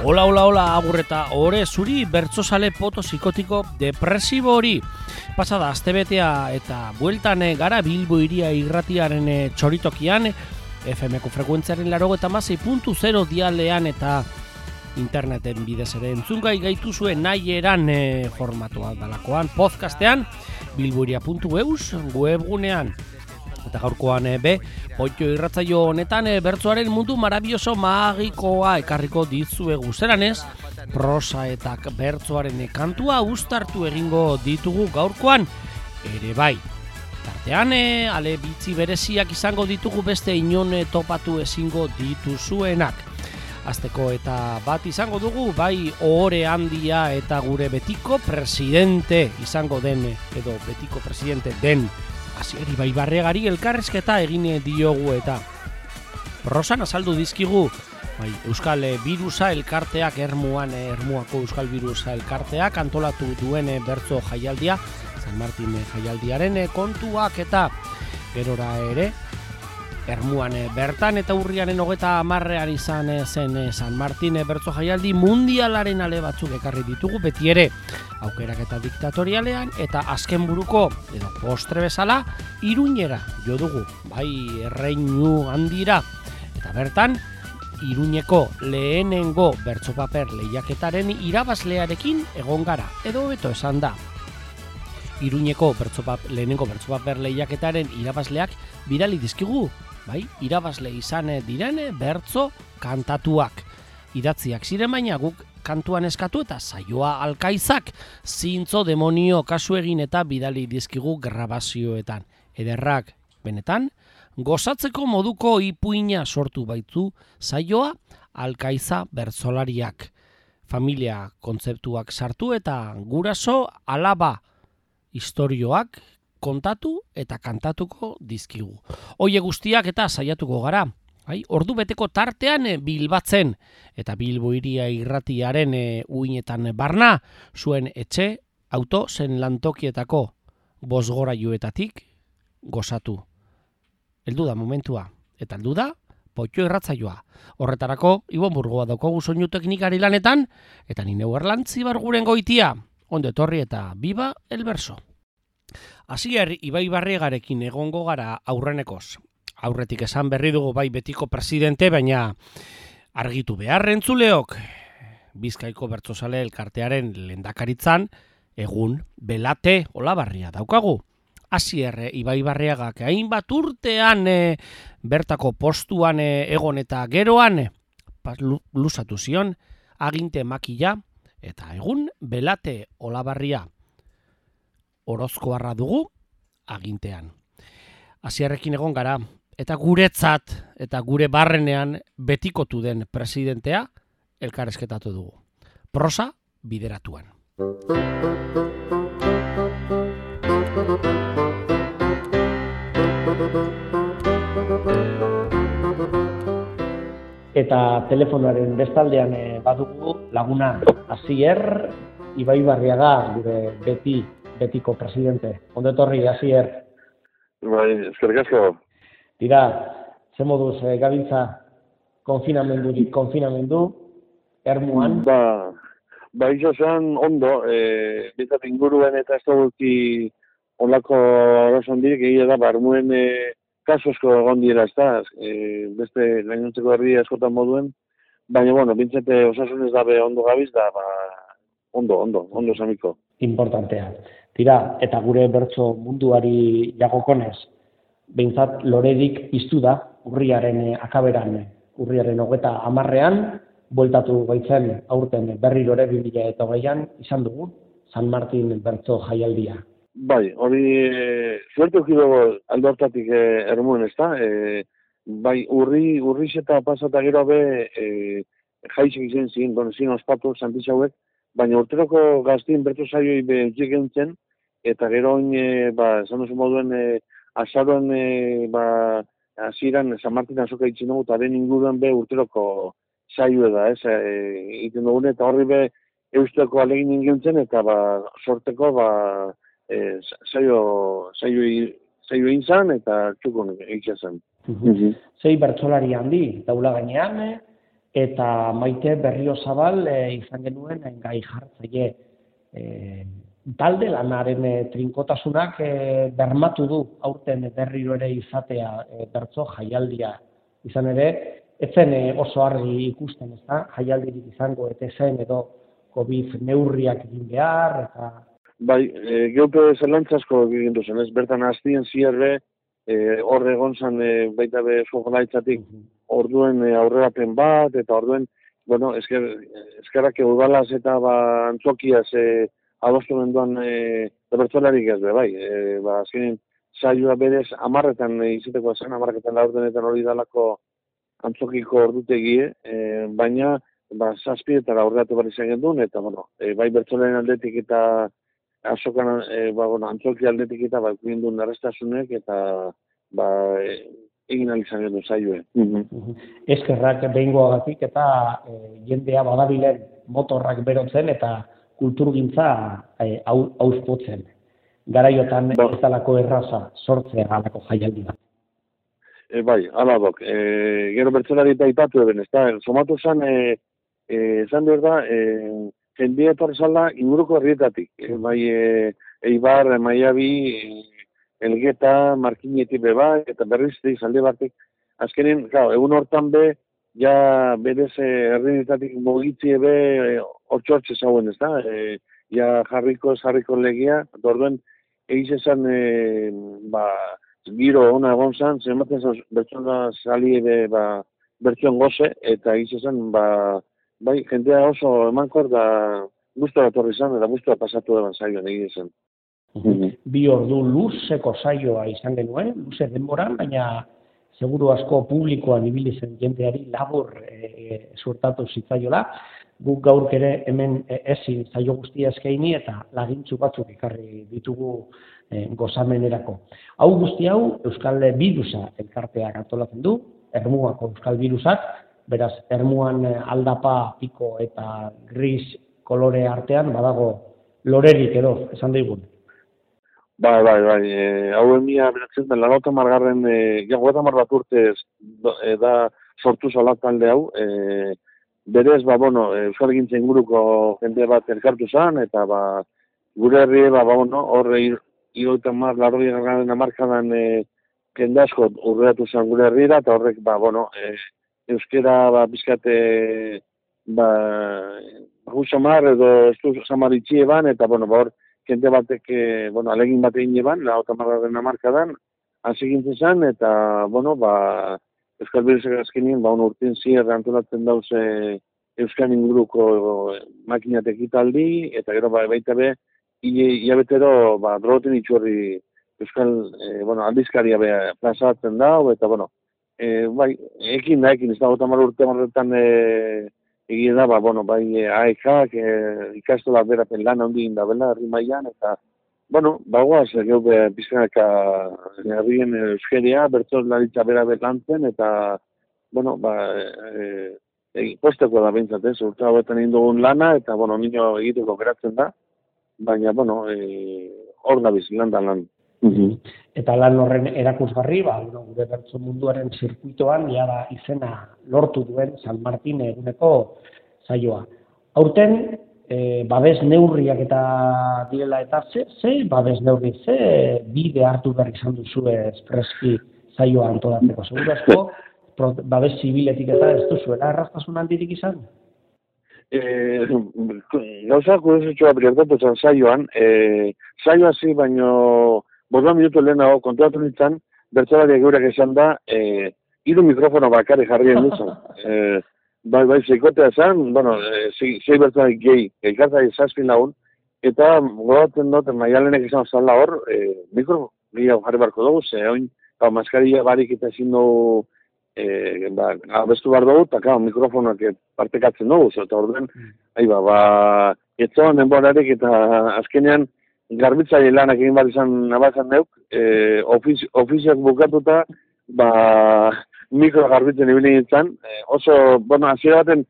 Hola, hola, hola, agur eta ore zuri bertsozale psicotiko depresibo hori. Pasada astebetea eta bueltan gara Bilbo Hiria irratiaren txoritokian, FM-ko frekuentziaren 96.0 dialean eta interneten bidez ere entzungai gaituzue nahi eran formatua dalakoan, podcastean, bilbohiria.eus webgunean. Eta gaurkoan Poitio irratzaio honetan bertsoaren mundu marabioso magikoa ekarriko dizuegu zeranez, prosa eta bertsoaren kantua uztartu egingo ditugu gaurkoan ere bai. Tartean, ale bitzi bereziak izango ditugu beste inon topatu ezingo dituzuenak. Azteko eta bat izango dugu, bai ohore handia eta gure betiko presidente izango den, edo betiko presidente den, Asier Ibaibarregari elkarrizketa egin diogu eta prosan azaldu dizkigu Euskal Birusa elkarteak Ermuako Euskal Birusa elkarteak antolatu duen bertso jaialdia, San Martin jaialdiaren kontuak eta gerora ere Ermuan bertan eta urriaren 30 izan zen San Martin bertso jaialdi mundialaren ale batzuk ekarri ditugu, beti ere aukerak eta diktatorialean, eta azken buruko edo postre bezala Iruñera jo dugu, bai erreinu handira, eta bertan Iruñeko lehenengo bertsopaper lehiaketaren irabazlearekin egon gara, edo beto esan da. Iruñeko lehenengo bertsopaper lehiaketaren irabazleak bidali dizkigu, bai, irabazle izan diren bertso kantatuak. Idatziak ziren baina guk kantuan eskatu eta saioa alkaizak zintzo demonio kasu egin eta bidali dizkigu grabazioetan. Ederrak, benetan, gozatzeko moduko ipuina sortu baitu saioa alkaiza bertsolariak. Familia kontzeptuak sartu eta guraso alaba istorioak kontatu eta kantatuko dizkigu. Hoie guztiak eta saiatuko gara. Ordu beteko tartean bilbatzen eta Bilbo Hiria irratiaren uinetan barna zuen etxe, auto zen lantokietako bosgorailuetatik gozatu. Heldu da momentua eta heldu da Poitio irratzaioa. Horretarako Ibon Burgoa daukagu soinu teknikari lanetan eta ni neu Erlantzi Barguren goitia. Ondo etorri eta biba el verso. Asier Ibaibarregarekin egongo gara aurrenekoz. Aurretik esan berri dugu bai betiko presidente, baina argitu behar entzuleok. Bizkaiko bertsozale elkartearen lehendakaritzan egun Belate Olabarria daukagu. Asier Ibaibarregak hainbat urtean bertako postuan egon eta geroan luzatu zion aginte makila eta egun Belate Olabarria Orozkoarra dugu agintean. Asierrekin egon gara eta guretzat eta gure barrenean betikotu den presidentea elkarrezketatu dugu. Prosa bideratuan. Eta telefonoaren bestaldean badugu laguna Asier Ibaibarriaga, gure betiko presidente. Ondo etorri, Asier. Bai, eskerrik asko. Tira, ze moduz gabiltza konfinamendu, Ermuan? Ba, izan ondo, bizat inguruen eta ez duguki onlako horrezondik egia da, Ermuen kaso asko egon dira, ez da, beste gainontzeko herri askotan moduen, baina, bueno, bintzete osasunez dabe ondo gabiz, da, ondo samiko. Importantea. Tira, eta gure bertso munduari jagokonez, behintzat loredik piztu da, urriaren akaberan, urriaren 30 bueltatu baitzen aurten berri lore 2008an izan dugu, San Martin bertso jaialdia. Bai, hori suerte ukido aldo hartatik Ermuen, ez da? Bai, urriz eta pasata gero be jaizek izan ziren, donezien ospatu, santitxauek, baina urteroko gaztien bertso saioi utzik gentzen, eta gero esan duzu moduen, azaroan, hasieran San Martin azoka itzin dugu, eta den inguruan be urteroko saioa da, egiten dugun, eta horri be eusteko alegin ingentzen, eta sorteko saio inzan, eta txukun egitzen zen. Zei bertsolari handi, daula gainean, eta Maite Berriozabal izan genuen gai jartzaile. Talde lanaren trinkotasunak bermatu du aurten berriro ere izatea bertso jaialdia. Izan ere, ez zen oso argi ikusten, ezta? Jaialdirik izango eta zen edo COVID neurriak egin behar eta... Bai, geupe zelantzasko egin duzen, ez? Bertan hastien zierre, hor egon zen baita be Jolaitzatik orduen aurrerapen bat, eta orduen, bueno, eskerrak udalaz eta antzokiaz adostu menduan bertzolarik ez be, bai. Azkenin, saioa berez 10etan izateko zen, 10etan laurdenetan hori dalako antzokiko ordutegie, baina 7etara aurreratu behar izan gendun, eta, bueno, bai bertzolaren aldetik eta azokan, antzoki aldetik eta gindun arrestasunek, eta egin alizan gendu saioe. Eskerrak behingoagatik eta jendea badabilen motorrak berotzen eta kulturgintza auspotzen. Garaiotan ez dalako erraza sortzea alako jaialdi bat. Bai, ala dok. Gero bertzelari eta ipatu eben, ez da, somatu zen, esan behar da, jendea etorri zala inguruko herrietatik. Bai, Eibar, Maiabi, Elgeta, Markinetik beba, eta berriz izalde batek. Azkenin, egun hortan be, ja berez herrietatik mogitzi ebe hortxortxe zauen, ez da? Ja jarriko legia, orduen egiz esan, giro ona egon zan, zenbatzen bertsoa sali ebe bertsoan goze, eta egiz esan, bai, jendea oso emankor da guztua etorri zan, eta guztua pasatu eban zaioan egiz esan. 2 ordu luzeko saioa izan genuen, luze denboran, baina seguru asko publikoan ibili zen jendeari labur suertatu zitzaiola. Guk gaurk ere hemen ezin zaio guztia eskaini eta lagintzu batzuk ekarri ditugu gozamenerako. Hau guzti hau Euskal Birusa elkarteak antolatzen du, Ermuako Euskal Birusak, beraz Ermuan aldapa, piko eta gris kolore artean badago lorerik edo, esan daigun. Bai, hau emia beratzen da, 80 bat urte da sortu zola talde hau, berez, Euskal Gintza inguruko jende bat elkartu zen, eta gure herri, horre 80 markadan jende asko urreatu zen gure herriera, eta horrek, euskera bizkate samar edo estu samar itxie ban, eta hor jende batek, alegin bat egin eban, 80 markadan, hasi gintzen zen, eta, Euskal Birusak azkenien, urtien zierra antolatzen dauz Euskal inguruko makinatek italdi, eta gero baita be, hilabetero drogoten itxurri Euskal aldizkaria plazatzen dau, eta ekin ez da 80 urte marretan egin da, AEK-ak ikastola berapen lan handien da bela, herri mailan, eta bagoaz, geube pizkanaka herrien euskeria, bertzoz laritza bera lantzen, eta, posteko da bintzat, urte hauetan egin dugun lana, eta, nino egiteko geratzen da, baina, hor gabiz, lan. Eta lan horren erakusgarri, gure bertso munduaren zirkuitoan, jada izena lortu duen San Martin eguneko saioa. Aurten, babes neurriak eta direla eta ze babes neurri, ze bide hartu behar izan duzu espreski saioa antolatzeko. Seguru asko, babes zibiletik eta ez duzuela erraztasun handirik izan? Gauzak kuriosetxoa bertatu zen saioan, saioa zi baino 5 minutu lehenago kontuatu nintzen, bertsolariak geurak esan da, 3 mikrofono bakarrik jarrien duzen. Zeikotea zen, 6 bertzolarik gehi, elkartzari 7 lagun, eta godatzen dut, Maialenek esan zala hor, mikro gehiago jarri barko dugu, oin, maskaria barik eta ezin dugu, abestu behar dugu, eta mikrofonak partekatzen dugu, eta orduen, etzoan denborarik eta azkenean, garbitzaile lanak egin bat izan nabazan neuk, ofizioak bukatuta, mikro garbitzen ibili nintzen, oso, hasiera baten,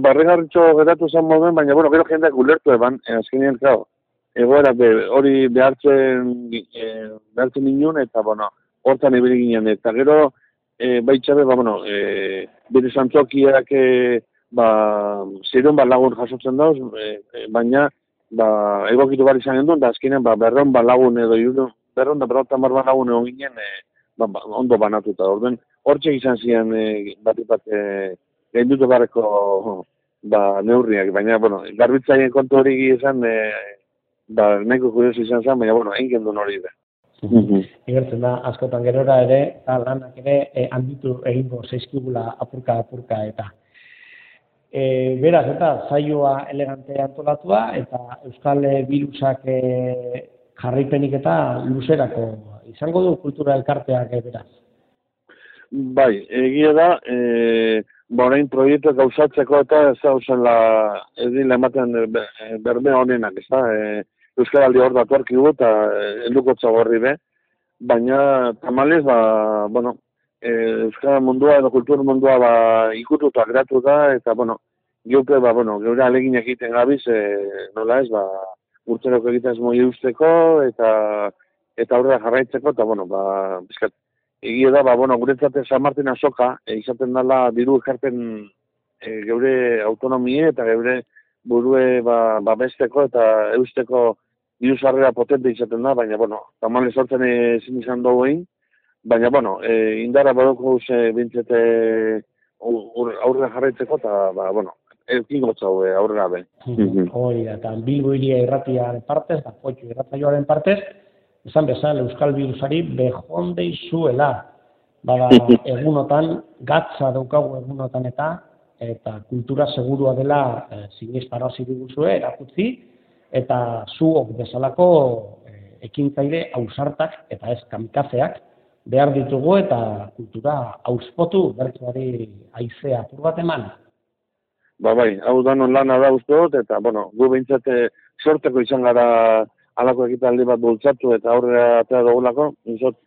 barregarritxo geratu zen moduen, baina, gero jendeak ulertu eban, azkenean, egoera hori behartzen inun, eta, hortan ibili ginen, eta gero, baitxabe, bere zantzokiak zeiron lagun jasotzen dauz, baina egokitu bar izan genduen, da azkenean 200 lagun edo 250 lagun egon ginen ondo banatuta. Orden, hortxe izan zian bat gaindutu barreko neurriak, baina, garbitzaien kontu hori izan, nahiko kurioso izan zen, baina, egin genduen hori da. Igertzen da, askotan gerora ere, lanak ere handitu egingo zaizkigula apurka eta. Beraz, eta saioa elegante antolatua, eta Euskal Birusak jarraipenik eta luzerako izango du kultura elkarteak beraz. Bai, egia da, orain proiektuak gauzatzeko eta ez dila ematen berme honenak, ez da, Euskaraldi hor datu arkigu eta heldukotza gorri be, baina tamalez, Euskara mundua edo kultur mundua ikututa geratu da, eta, geupe, geure aleginak egiten gabiz, nola ez, urteroko egiten moi eusteko, eta aurrera jarraitzeko, eta, bizkat, egia da, guretzat San Martin azoka, izaten dela diru ekarpen geure autonomie eta geure burue babesteko eta eusteko diru sarrera potente izaten da, baina, tamalez sortzen ezin izan dugu egin, baina, indara badoko bintzete aurrera jarraitzeko, eta, eukin gotzau aurrera be. Hori da, eta Bilbo Hiria irratiaren partez, eta Potxo irratsaioaren partez, esan bezala Euskal Birusari behondei zuela. Egunotan, gatza daukagu egunotan eta kultura segurua dela sinestarazi diguzue, erakutzi, eta zuok bezalako ekintzaile ausartak eta ez kamikazeak behar ditugu eta kultura auspotu bertsuari haizea apur bat eman. Bai, hau danon lana da uste dut, eta, gu behintzat sorteko izan gara alako ekitaldi bat bultzatu eta aurrera atea dugulako, nizot,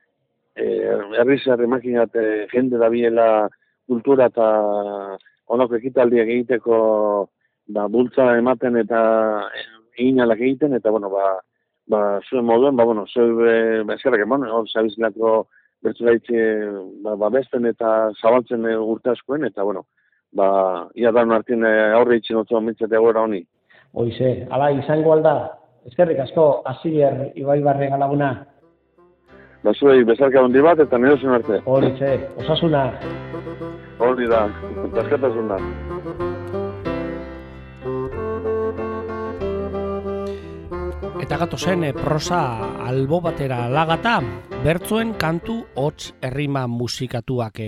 herri makinat jende da biela kultura eta onako ekitaldiak egiteko bultza ematen eta eginalak egiten, eta, zuen moduen, zuen eskerrak emon, hor zabizilako bertzulaitze besten eta zabaltzen urte askoen, eta, ia dan martin aurre itxin otzu amintzate gora honi. Hoize, ala izango alda, eskerrik asko, Asier Ibaibarre galaguna. Zuei, bezarka hondi bat eta nerozen arte. Horize, osasuna. Hori da, askatasuna. Eta gatozen prosa albo batera lagata, bertzoen kantu hots errima musikatuak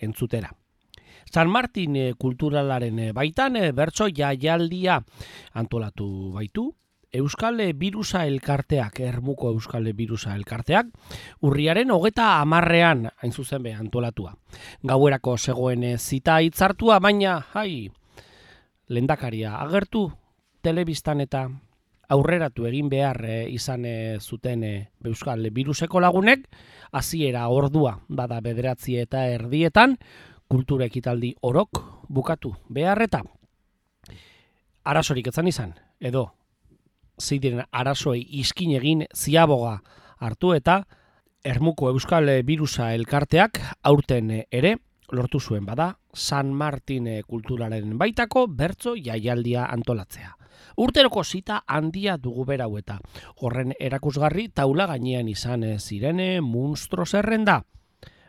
entzutera. San Martin kulturalaren baitan bertso jaialdia antolatu baitu, Euskal Birusa elkarteak, Ermuko Euskal Birusa elkarteak, urriaren 30ean hain zuzen be antolatua. Gauerako zegoen zita hitzartua, baina, lehendakaria agertu telebistan eta aurreratu egin behar izan zuten Euskal Biruseko lagunek, hasiera ordua bada 9:30 kultura ekitaldi orok bukatu beharreta. Arazorik etzan izan, edo ziren arazoi iskin egin ziaboga hartu eta Ermuko Euskal Birusa elkarteak aurten ere lortu zuen bada San Martin kulturaren baitako bertso jaialdia antolatzea. Urteroko zita handia dugu berau eta horren erakusgarri taula gainean izan zirene munstro zerrenda.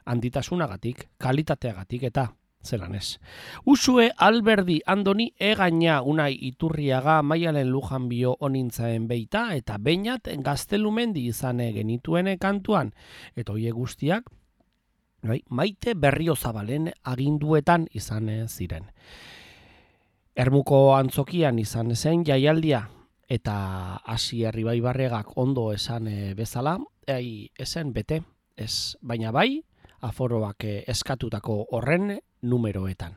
Handitasunagatik, kalitateagatik eta zelan ez. Usue Alberdi Andoni egaina Unai Iturriaga Maialen Lujanbio onintzaen beita eta beinat Gaztelumendi izan genituen kantuan. Eta hoie guztiak Maite Berriozabalen aginduetan izan ziren. Ermuko antzokian izan zen jaialdia eta Asier Ibaibarregak ondo esan bezala, esen bete, ez, baina bai, aforoak eskatutako horren numeroetan.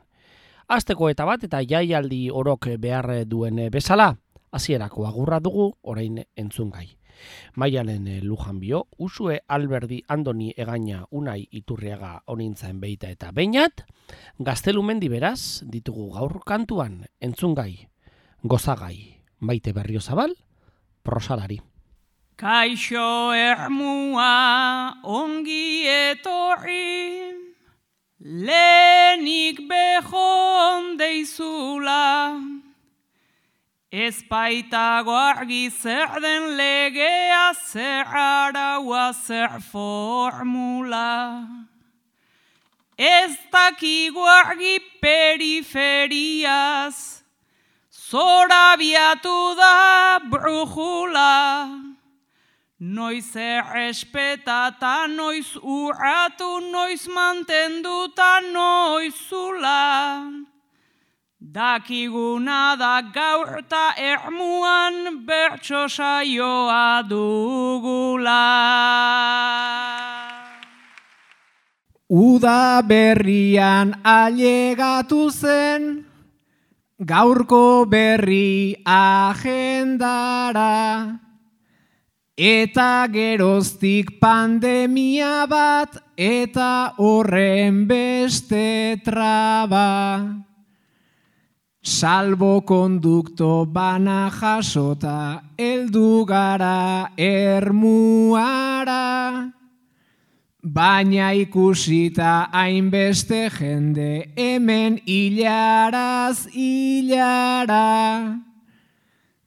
Asteko eta bat eta jaialdi orok behar duen bezala, hasierako agurra dugu orain entzungai. Maialen Lujanbio, Usue Alberdi Andoni egaina Unai Iturriaga onintzaen beita eta beinat, Gaztelumendi beraz ditugu gaur kantuan entzungai, gozagai, Maite Berriozabal, prosalari. Kaixo Ermua ongi etorri, Lehenik behon deizula, ez baitago argi zer den legea, zer araua, zer formula. Ez dakigu argi periferiaz, zorabiatu da brujula. Noiz errespetata, noiz urratu, noiz mantenduta, noiz zula. Dakiguna da gaur eta ermuan bertso saioa dugula. Uda berrian ailegatu zen, gaurko berri agendara, eta geroztik pandemia bat, eta horren beste traba. Salbokondukto bana jasota, heldu gara ermuara, baina ikusita hainbeste jende hemen hilaraz hilara.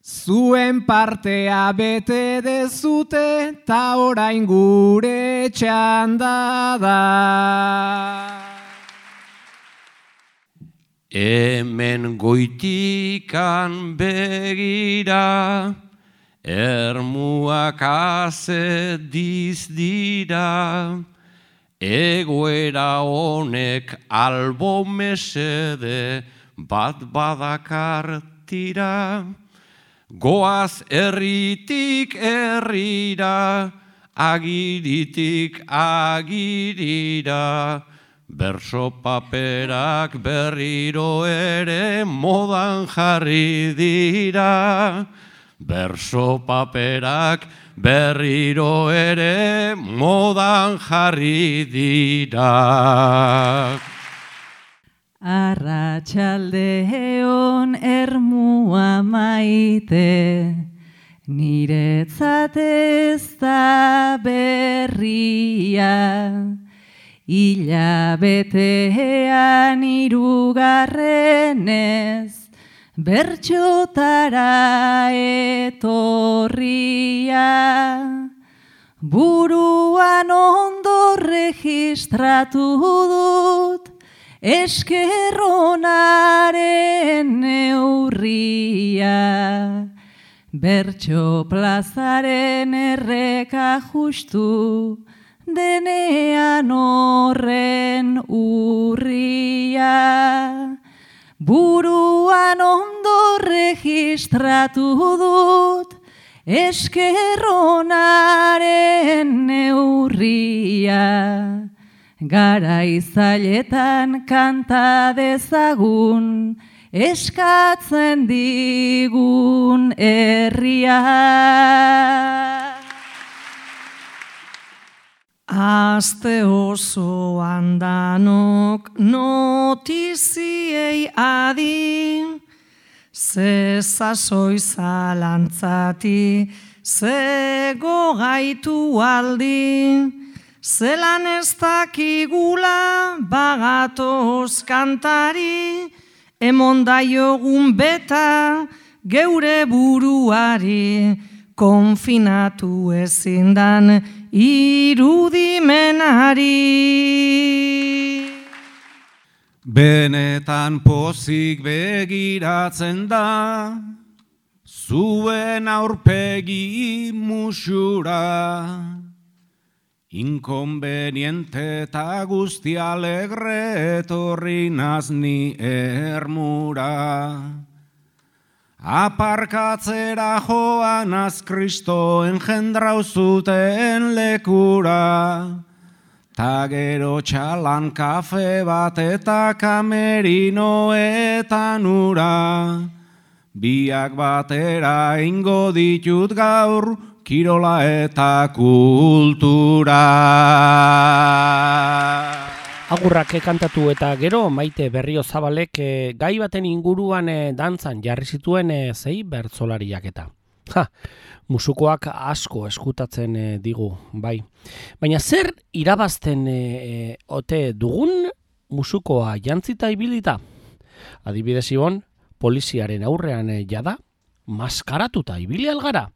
Zuen partea bete dezute, ta orain gure txanda da. Hemen goitikan begira, ermuak azediz dira, egoera honek albo mesede bat badakar tira. Goaz herritik herrira, agiritik agirira, berso paperak berriro ere modan jarri dira. Berso paperak berriro ere modan jarri dira. Arratsaldeon ermua maite, niretzat ez da berria. Hilabetean hirugarrenez, bertxotara etorria. Buruan ondo registratu dut, eskerronaren neurria. Bertxo plazaren erreka justu, denean horren urria. Buruan ondo registratu dut, eskerronaren neurria. Garaizailetan kanta dezagun, eskatzen digun herria. Aste osoan danok notiziei adi, ze sasoi zalantzati, ze gogaitu aldi, zelan ez dakigula bagatoz kantari, emon daiogun beta geure buruari, konfinatu ezindan irudimenari. Benetan pozik begiratzen da, zuen aurpegi musura. Inkonbeniente eta guzti alegre etorri nazni ermura. Aparkatzera joanaz Kristo engendrau zuten lekura, ta gero txalan kafe bat eta kamerinoetan ura, biak batera ingo ditut gaur, kirola eta kultura. Agurrak kantatu eta gero Maite Berriozabalek gai baten inguruan dantzan jarri zituen zei bertsolariak eta. Musukoak asko eskutatzen digu, bai. Baina zer irabazten ote dugun musukoa jantzita ibilita. Adibidez Ibon, poliziaren aurrean jada, maskaratuta ibili algara.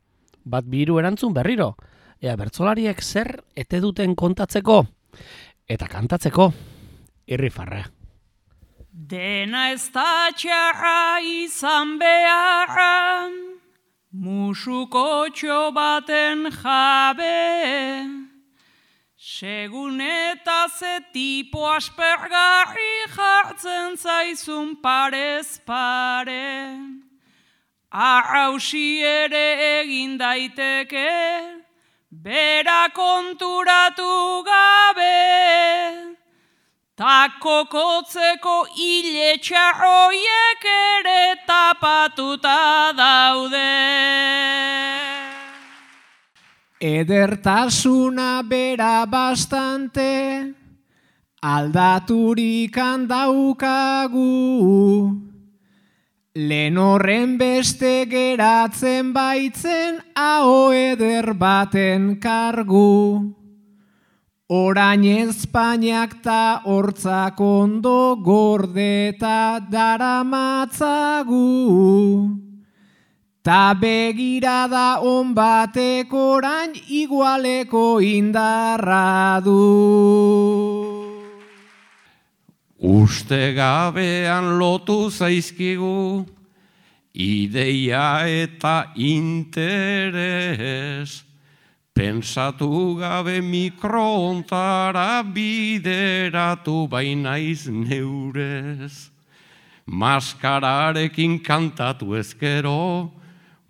Bat biru erantzun berriro. Ea bertsolariek zer ete duten kontatzeko eta kantatzeko irrifarra. Dena ez da txarra izan beharra, musukotxo baten jabe, segun eta ze tipo aspergarri jartzen zaizun parez pare, arrausi ere egin daiteke, bera konturatu gabe, ta kokotzeko hile txarroiek ere tapatuta daude. Edertasuna bera bastante, aldaturik handaukagu, lehen horren beste geratzen baitzen aho eder baten kargu. Orain Espainiak ta hortzak ondo gordeta daramatzagu, ta begirada on batek orain igualeko indarra du. Uste gabean lotu zaizkigu, ideia eta interes, pensatu gabe mikrohontara bideratu bainaiz neurez. Maskararekin kantatu ezkero,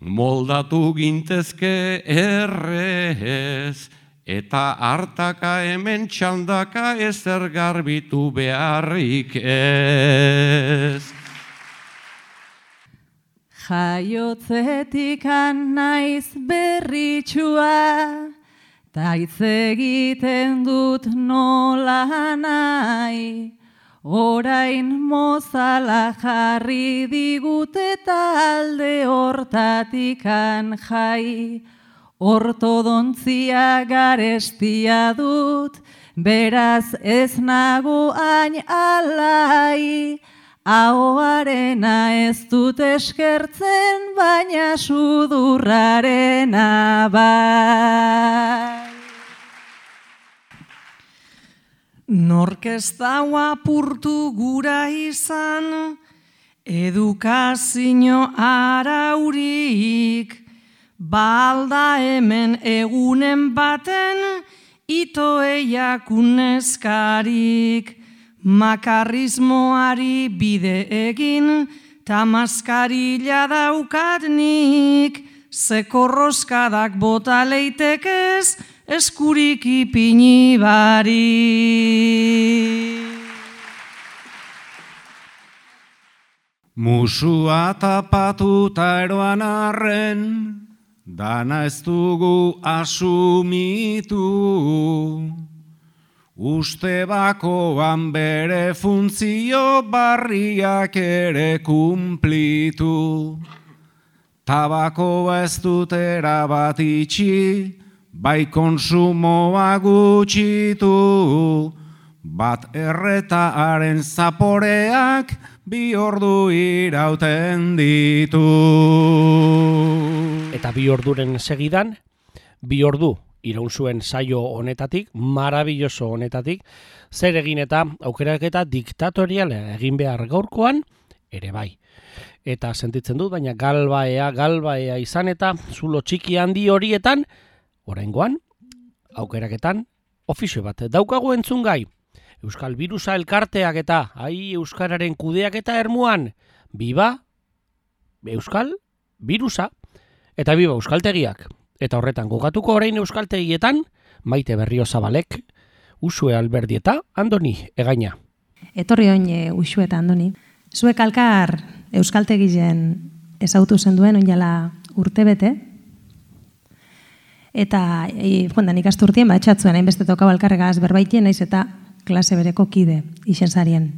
moldatu gintezke errez, eta hartaka hemen txandaka ezer garbitu beharrik ez. Jaiotzetikan naiz berritxua, ta hitz egiten dut nola nahi, orain mozala jarri digute talde hortatikan jai, ortodontzia garestia dut, beraz ez nago hain alai, ahoarena ez dut eskertzen, baina sudurrarena bai. Nork ez dau apurtu gura izan, edukazio araurik, balda hemen egunen baten, itoeiak uneskarik, makarrismoari bide egin, ta maskarila daukat nik, zekorroskadak bota leitekez, eskurik ipini bari. Musua tapatuta eroan arren, dana ez dugu asumitu. Uste bakoan bere funtzio barriak ere kumplitu. Tabakoa ez dut erabat itxi, bai konsumoa gutxitu. Bat erretaaren zaporeak 2 ordu irauten ditu. Eta 2 orduren segidan, 2 ordu iraun zuen saio honetatik, marabilloso honetatik, zer egin eta aukeraketa diktatoriala egin behar gaurkoan, ere bai. Eta sentitzen dut, baina galbaea izan eta zulo txiki handi horietan, oraingoan, aukeraketan, ofizio bat daukagu entzungai. Euskal Birusa elkarteak eta, euskararen kudeak eta ermuan, biba Euskal Birusa eta biba euskaltegiak. Eta horretan gogatuko orain euskaltegietan, Maite Berriozabalek, Usue Alberdi eta Andoni Egaina. Etorri oin Usue eta Andoni. Zuek alkar euskaltegien ezautu zenduen oinala urtebete. Eta, nik asturtien, etxatzuen, hainbeste tokau alkarregaz berbaitien, naiz eta klase bereko kide, isen zarien.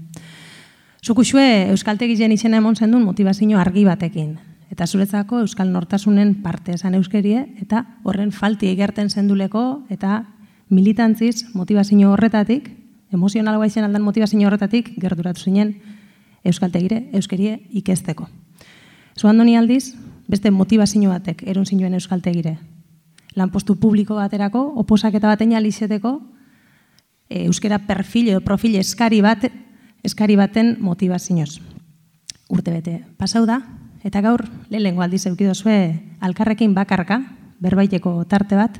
Zuk Usue euskaltegien izena emon zendun motivazio argi batekin. Eta zuretzako euskal nortasunen parte esan euskerie, eta horren falti egerten zenduleko, eta militantziz, motivazio horretatik, emozionalagoa izan aldan motivazio horretatik gerturatu zinen euskaltegire, euskerie ikesteko. Zuandoni aldiz, beste motivazio batek erun zinuen euskaltegire. Lanpostu publiko baterako, oposaketa baten alizeteko, euskera perfil edo profil eskari baten motivazioz. Urte bete pasau da, eta gaur lehenengo aldiz eukidozue alkarrekin bakarka, berbaiteko tarte bat,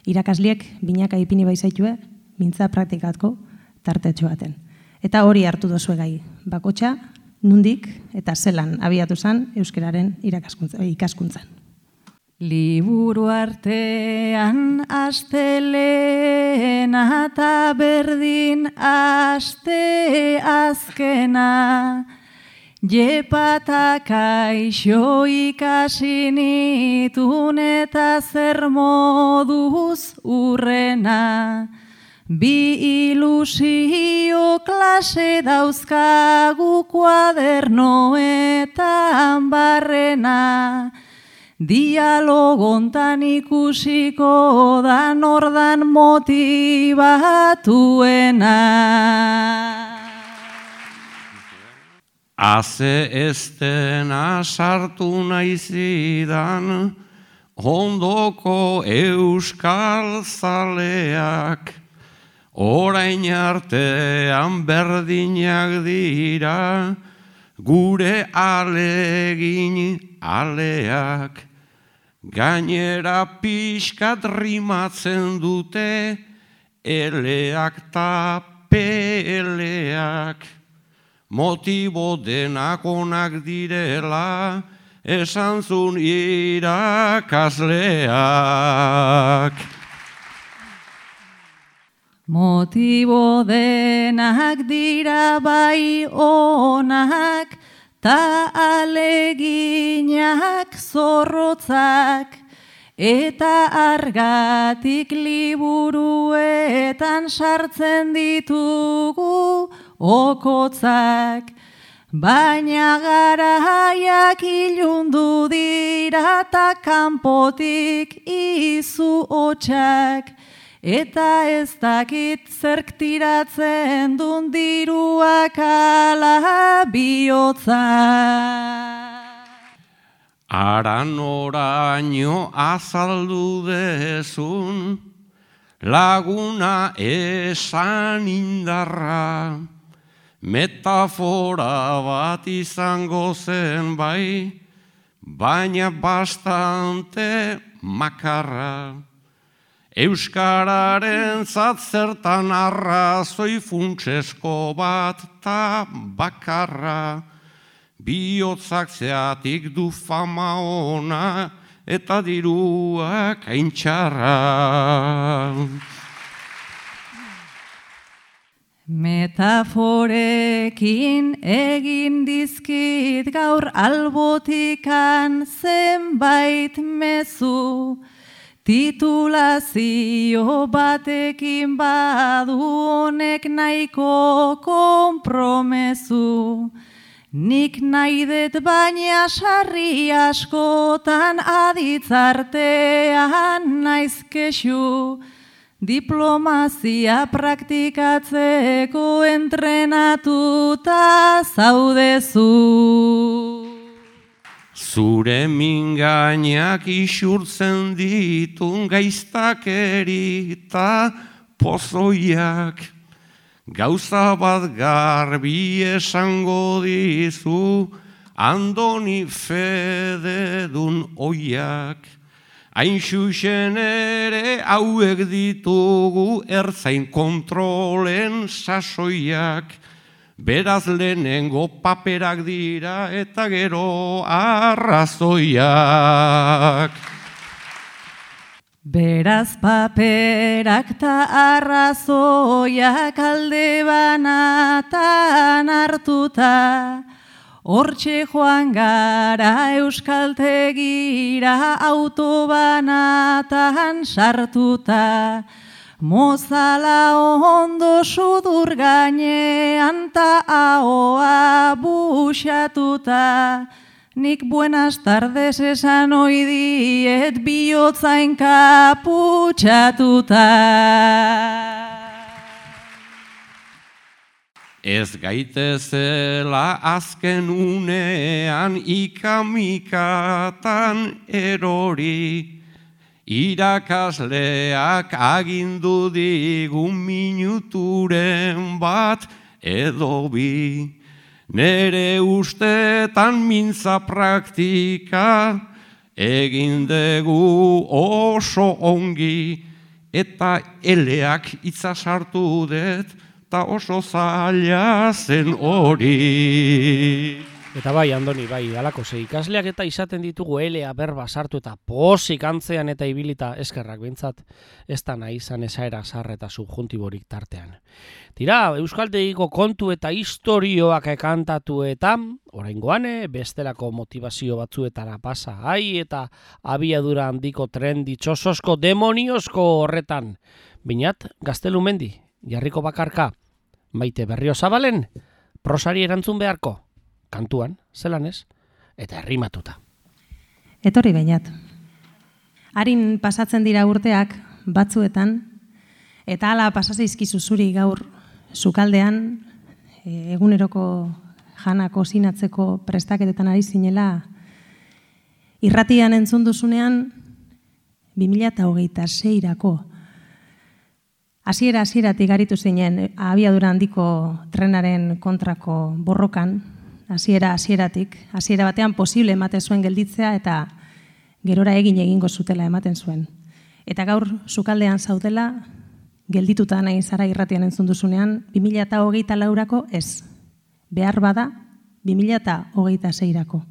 irakasliek binaka ipini baizaitue, mintza praktikatko tartetxo baten. Eta hori hartu dozue gai, bakotxa, nundik eta zelan abiatu zen euskeraren ikaskuntzan. Liburu artean astelena eta berdin aste azkena, jepata kaixo ikasi nitun eta zer moduz urrena. Bi ilusio klase dauzkagu kuadernoetan barrena, dialogontan ikusiko da nordan motibatuena. Haze estena sartu naizidan, ondoko euskal zaleak, orain artean berdinak dira, gure alegin aleak. Gainera pixkat rimatzen dute, eleak ta peleak. Motibo denak onak direla, esan zun irakasleak. Motibo denak dira bai onak, ta aleginak zorrotzak, eta argatik liburuetan sartzen ditugu okotzak. Baina garaiak ilundu dira ta kanpotik izu hotxak, eta ez dakit zerk tiratzen dun diruak ala bihotza. Aran oraino azaldu dezun, laguna esan indarra, metafora bat izango zen bai, baina bastante makarra. Euskararen zertan arrazoi funtsesko bat ta bakarra, bihotzak zeatik du fama ona eta diruak aintxarra. Metaforekin egin dizkit gaur albotikan zenbait mezu, titulazio batekin badu honek nahiko konpromezu. Nik nahi dut baina sarri askotan aditzartean naiz kexu, diplomazia praktikatzeko entrenatuta zaudezu. Zure mingainak isurtzen ditun gaiztakeri eta pozoiak, gauza bat garbi esango dizu, Andoni Fededun oiak. Hain xuxen ere hauek ditugu ertzain kontrolen sasoiak, beraz lehenengo paperak dira eta gero arrazoiak. Beraz paperak ta arrazoiak alde banatan hartuta, hortxe joan gara euskaltegira autobanatan sartuta, mozala ondo sudur gainean ta ahoa buxatuta, nik buenas tardes esan ohi diet bihotza enkaputxatuta. Ez gaitezela azken unean ikamikatan erori, irakasleak agindu digun minuturen bat edo bi. Nere ustetan mintza praktika egin dugu oso ongi, eta eleak itza sartu dut, eta oso zaila zen hori. Eta bai, Andoni, bai, alako ze ikasleak eta izaten ditugu elea berba sartu eta posik antzean eta ibilita eskerrak bintzat, ez da nahi izan esaera sarre eta subjuntiborik tartean. Tira, euskaltegiko kontu eta historioak kantatu eta, oraingoan, bestelako motivazio batzuetara pasa, ai eta abiadura handiko tren ditxososko demoniozko horretan. Binat, Gaztelumendi, Jarriko Bakarka, Maite Berriozabalen, prosari erantzun beharko. Kantuan, zelan ez, eta errimatuta. Etorri Beñat. Harin pasatzen dira urteak batzuetan, eta hala pasazeizkizu zuri gaur sukaldean, eguneroko jana kozinatzeko prestaketetan ari zinela, irratian entzun duzunean 2026-rako. Hasieratik aritu zinen abiadura handiko trenaren kontrako borrokan, hasieratik, hasiera batean posible ematen zuen gelditzea eta gerora egingo zutela ematen zuen. Eta gaur sukaldean zaudela, geldituta nahi zara irratian entzun duzunean, 2024-rako ez. Behar bada, 2026-rako.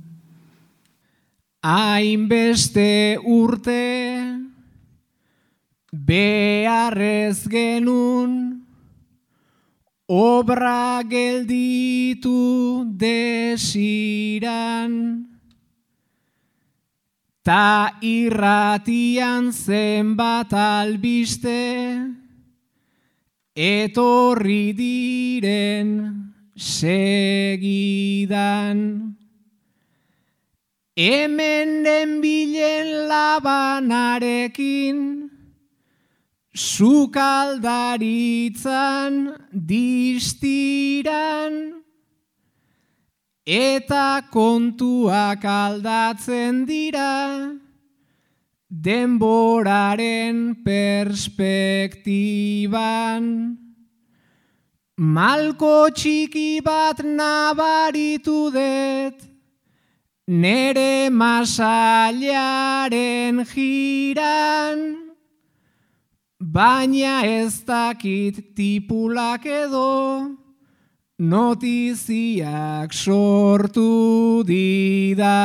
Hainbeste urte beharrez genuen obra gelditu desiran, ta irratian zenbat albiste etorri diren segidan. Hemen nenbilen Labanarekin sukaldaritzan distiran, eta kontuak aldatzen dira denboraren perspektiban. Malko txiki bat nabaritu dut nere masailaren jiran, baina ez dakit tipulak edo notiziak sortu dida.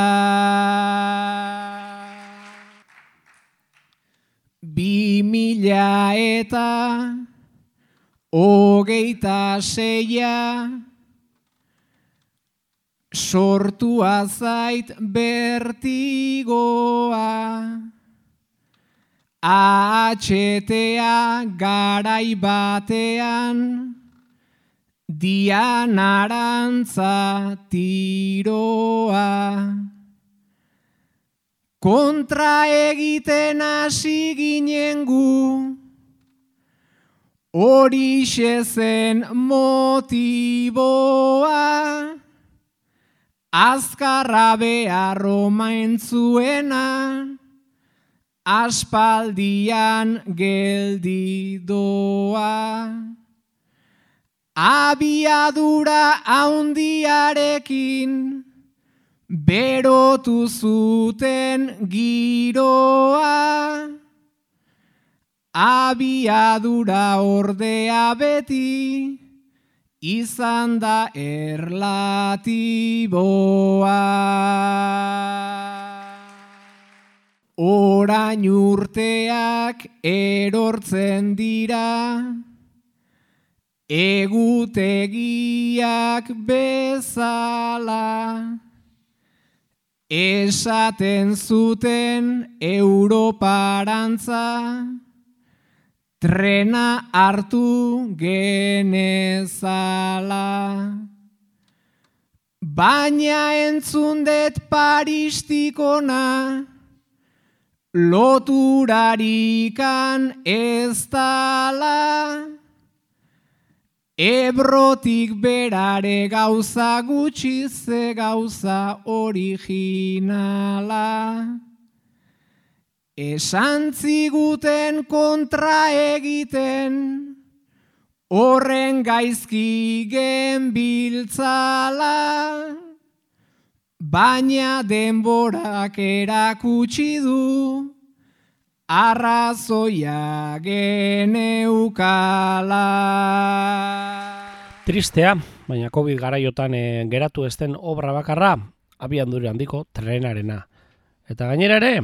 2026 sortua zait bertigoa, AHTA garai batean Dianarantza tiroa. Kontra egiten hasi ginen gu, horixe zen motiboa, azkarra behar omain zuena, aspaldian geldi doa. Abiadura haundiarekin berotu zuten giroa, abiadura ordea beti izan da erlatiboa. Orain urteak erortzen dira, egutegiak bezala, esaten zuten Europarantza, trena hartu genezala. Baina entzun dut Paristikona, loturarikan ez dala, Ebrotik berare gauza gutxi ze gauza originala. Esan ziguten kontra egiten, horren gaizki genbiltzala. Baina denborak erakutsi du, arrazoia geneukala. Tristea, baina COVID garaiotan geratu ez den obra bakarra, abiadura handiko trenarena. Eta gainera ere,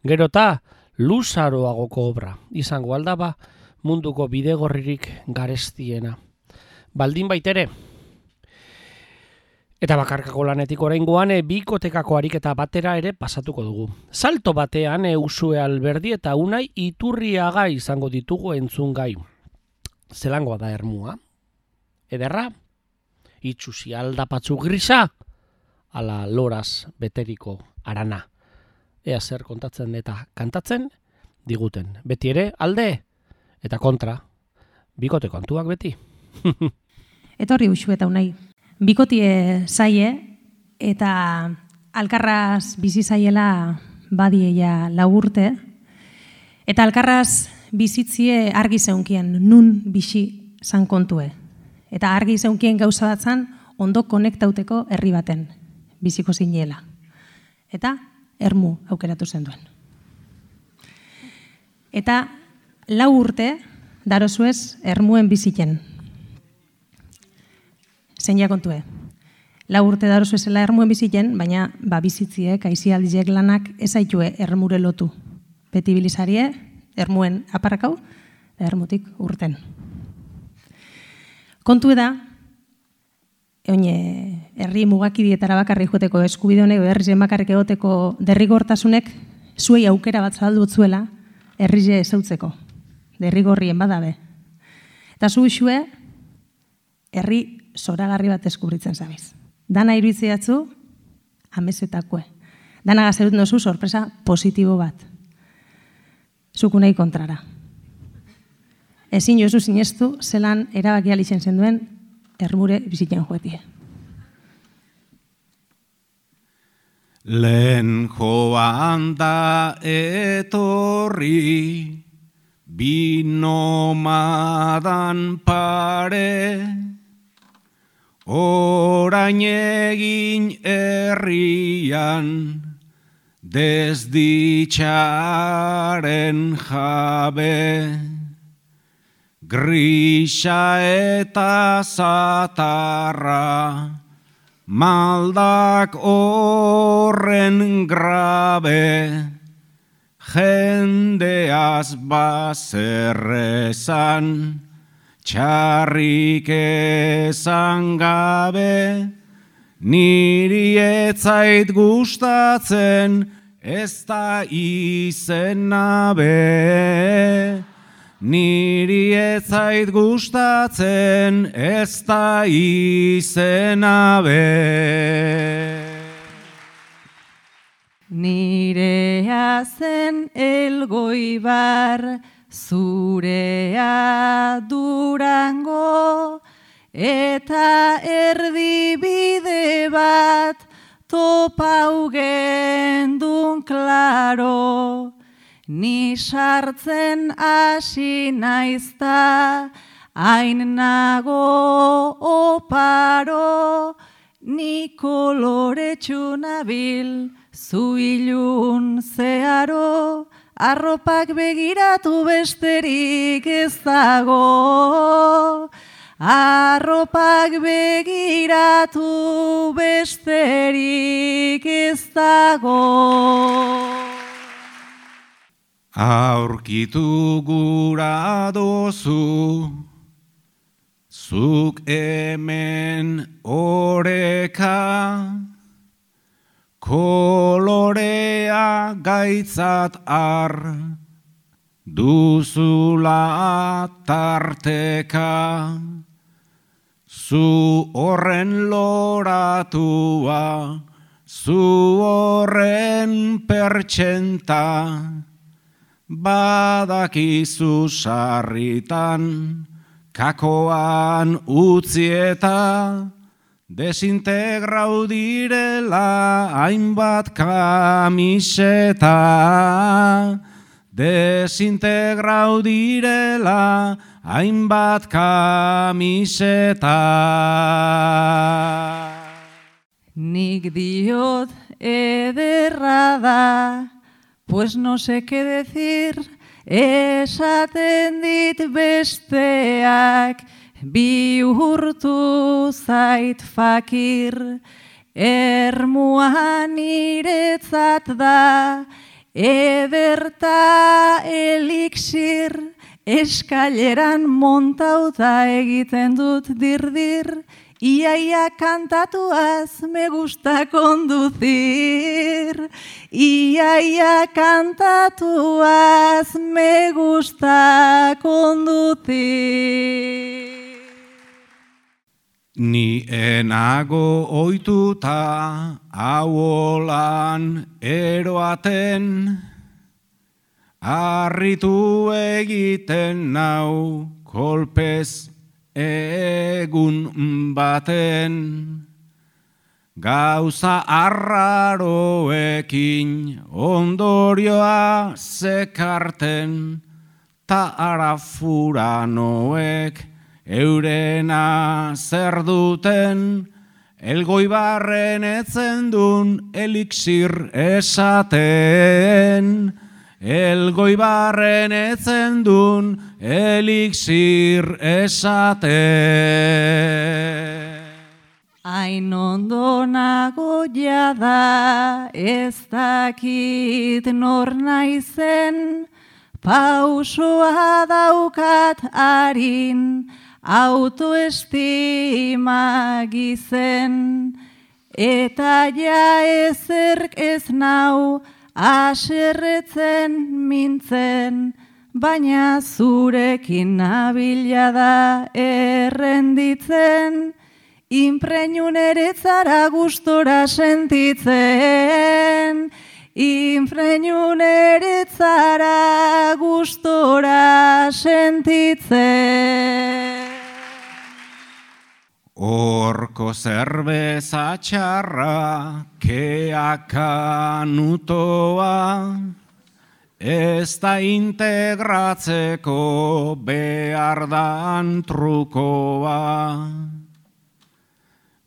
gero eta luzaroagoko obra, izango aldaba munduko bidegorririk garestiena. Baldin baitere, eta bakarkako lanetik oraingoan bikotekako ariketa batera ere pasatuko dugu. Salto batean Usue Alberdi eta Unai Iturriaga izango ditugu entzungai. Zelangoa da Ermua? Ederra? Itxusi aldapatzu grisa? Ala loraz beteriko arana. Ea zer kontatzen eta kantatzen diguten. Beti ere alde eta kontra. Bikote kontuak beti. Etorri Usue eta Unai. Bikotie zaie eta alkarraz bizi zaiela badieia 4 urte. Eta alkarraz bizitzie argi zeunkien, nun bisi zan kontue. Eta argi zeunkien gauza batzan ondo konektauteko herri baten biziko zinela. Eta Ermu aukeratu zenduen. Eta 4 urte darozuez Ermuen biziken. Zein kontue. 4 urte darozuezela Ermuen biziken, baina bizitziek, aizialdiek lanak ezaitue Ermure lotu. Beti bilizarie, Ermuen aparrakau, Ermutik urten. Kontu da, herri mugakidietara bakarri joateko eskubide honek, herri bakarrik egoteko derrigortasunek zuei aukera bat zabaldu zuela herri ezautzeko, derrigorrien badabe. Eta zu Usue, herri zoragarri bat deskubritzen zabiz. Dana iruitzeatzu, amesetakue. Dana gazerut nozu sorpresa positibo bat. Zuku nahi kontrara. Ezin jozu sinestu, zelan erabakia litzen zenduen Ermure bizitzen joetie. Lehen joan da etorri, bi nomadan pare, orain egin herrian, desditzaren jabe, grisa eta zatarra, maldak horren grabe, jendeaz bazerrezan, txarrik ezan gabe, niri etzait gustatzen, ez da izena be. Niri etzait gustatzen, ez da izena be. Nirea zen Elgoibar, zurea Durango, eta erdibide bat topau gendun klaro. Ni sartzen hasi naizta, hain nago oparo, ni koloretsu nabil, zu ilun zeharo, arropak begiratu besterik ez dago. Arropak begiratu besterik ez dago. Aurkitu gura dozu, zuk hemen oreka, kolorea gaitzat ar, duzula tarteka, zu horren loratua, zu horren pertsenta, badakizu sarritan, kakoan utzi eta desintegrau direla hainbat kamiseta, desintegrau direla hainbat kamiseta. Nik diot ederra da, pues no sé qué decir, esaten dit besteak, bihurtu zait fakir, ermua niretzat da, ederta elixir, eskaileran montauta egiten dut dirdir, iaia kantatuaz me gusta conducir, iaia kantatuaz me gusta conducir. Ni enago ohituta hauolan eroaten, harritu egiten nau kolpez egun baten. Gauza arraroekin ondorioa zekarten, ta arafuranoek eurena zer duten, Elgoibarren etzen dun elixir esaten, Elgoibarren etzen dun elixir esaten. Hain ondo nago jada, ez dakit nor naizen, pausoa daukat harin, autoestima gizen, eta ja ezerk ez nau, aserretzen mintzen, baina zurekin nabila da errenditzen, inpreñun eretzara gustora sentitzen, inpreñun eretzara gustora sentitzen. Horko zerbeza txarra, keakanutoa, ez da integratzeko behar dan trukoa.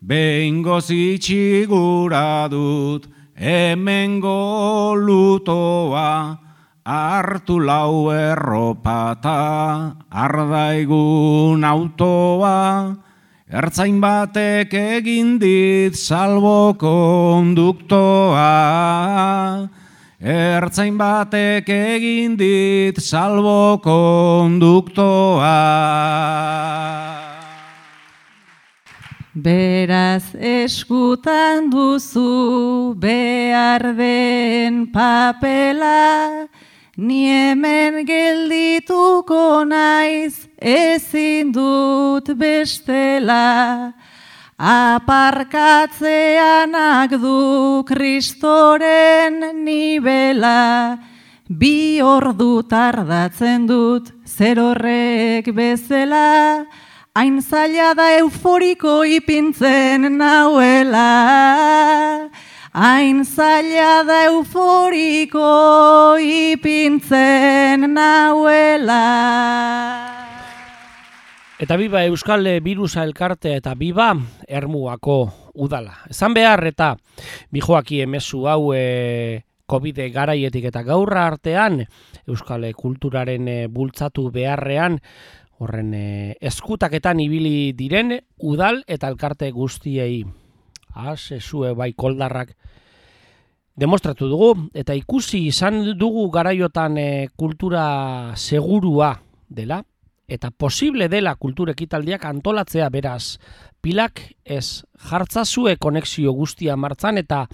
Behingoz itxigura dut, hemengo lutoa, hartu lau erropata, ardaigun autoa, ertzain batek egin dit salbo konduktoa, ertzain batek egin dit salbo konduktoa. Beraz eskutan duzu behar den papela, ni hemen geldituko naiz ezin dut bestela. Aparkatzeanak du Kristoren nibela, bi ordu tardatzen dut zer horrek bezala, hain zaila da euforiko ipintzen nauela, hain zaila da euforiko ipintzen nauela. Eta biba Euskal Birusa elkartea eta biba Ermuako udala. Esan behar eta bijoaki emezu hau COVID garaietik eta gaurra artean Euskal kulturaren bultzatu beharrean horren eskutaketan ibili diren udal eta elkarte guztiei. Zue bai koldarrak demostratu dugu eta ikusi izan dugu garaiotan kultura segurua dela eta posible dela kultur ekitaldiak antolatzea, beraz pilak ez jartzazue konexio guztia martzan eta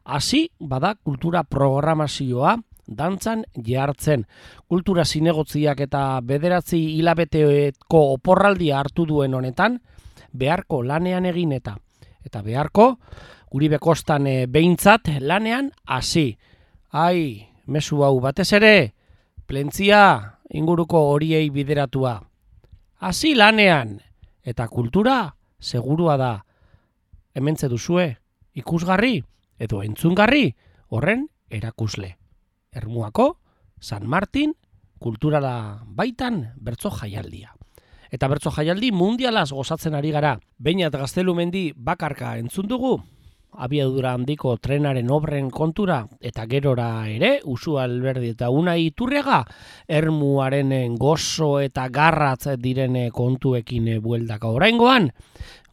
hasi bada kultura programazioa dantzan jartzen. Kultura zinegotziak eta 9 hilabeteko oporraldia hartu duen honetan, beharko lanean egin eta beharko Uribe Kostan behintzat lanean hasi. Ai, mezu hau batez ere, Plentzia inguruko horiei bideratua. hasi lanean, eta kultura segurua da. Hementze duzue, ikusgarri edo entzungarri horren erakusle. Ermuako, San Martin, kulturala baitan bertso jaialdia. Eta bertso jaialdi mundialaz gozatzen ari gara. Beñat Gaztelumendi bakarka entzun dugu, abiadura handiko trenaren obren kontura, eta gerora ere, Usu Alberdi eta Unai Iturriaga, ermuaren gozo eta garratz diren kontuekin bueldaka oraingoan,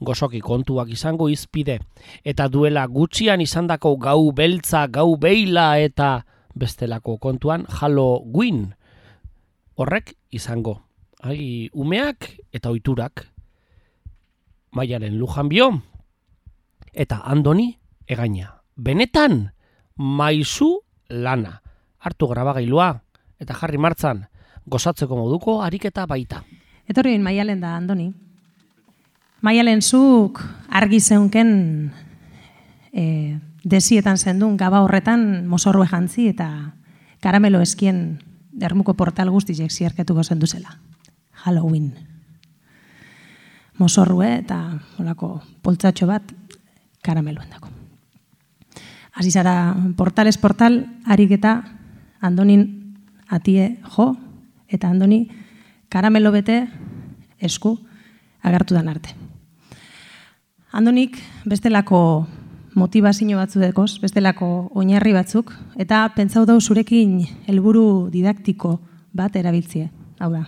gozoki kontuak izango izpide, eta duela gutxian izandako gau beltza, gau beila eta bestelako kontuan Halloween horrek izango. Umeak eta ohiturak, Maialen Lujanbio eta Andoni Egaina. Benetan, maizu lana. Hartu grabagailua eta jarri martzan, gozatzeko moduko ariketa baita. Etorri Maialen da, Andoni. Maialen zuk argi zeunken desietan zendun gaba horretan mozorrue jantzi eta karamelo eskien ermuko portal guztiek zierketuko zenduzela. Halloween. Mozorrue eta olako poltsatxo bat karameloen dako. Hasi zara portales portal ariketa Andonin atie jo eta Andoni karamelo bete esku agertu dan arte. Andonik bestelako motivazio batzu dekoz, bestelako oinarri batzuk, eta pentsau dau zurekin helburu didaktiko bat erabiltzie. Hau da,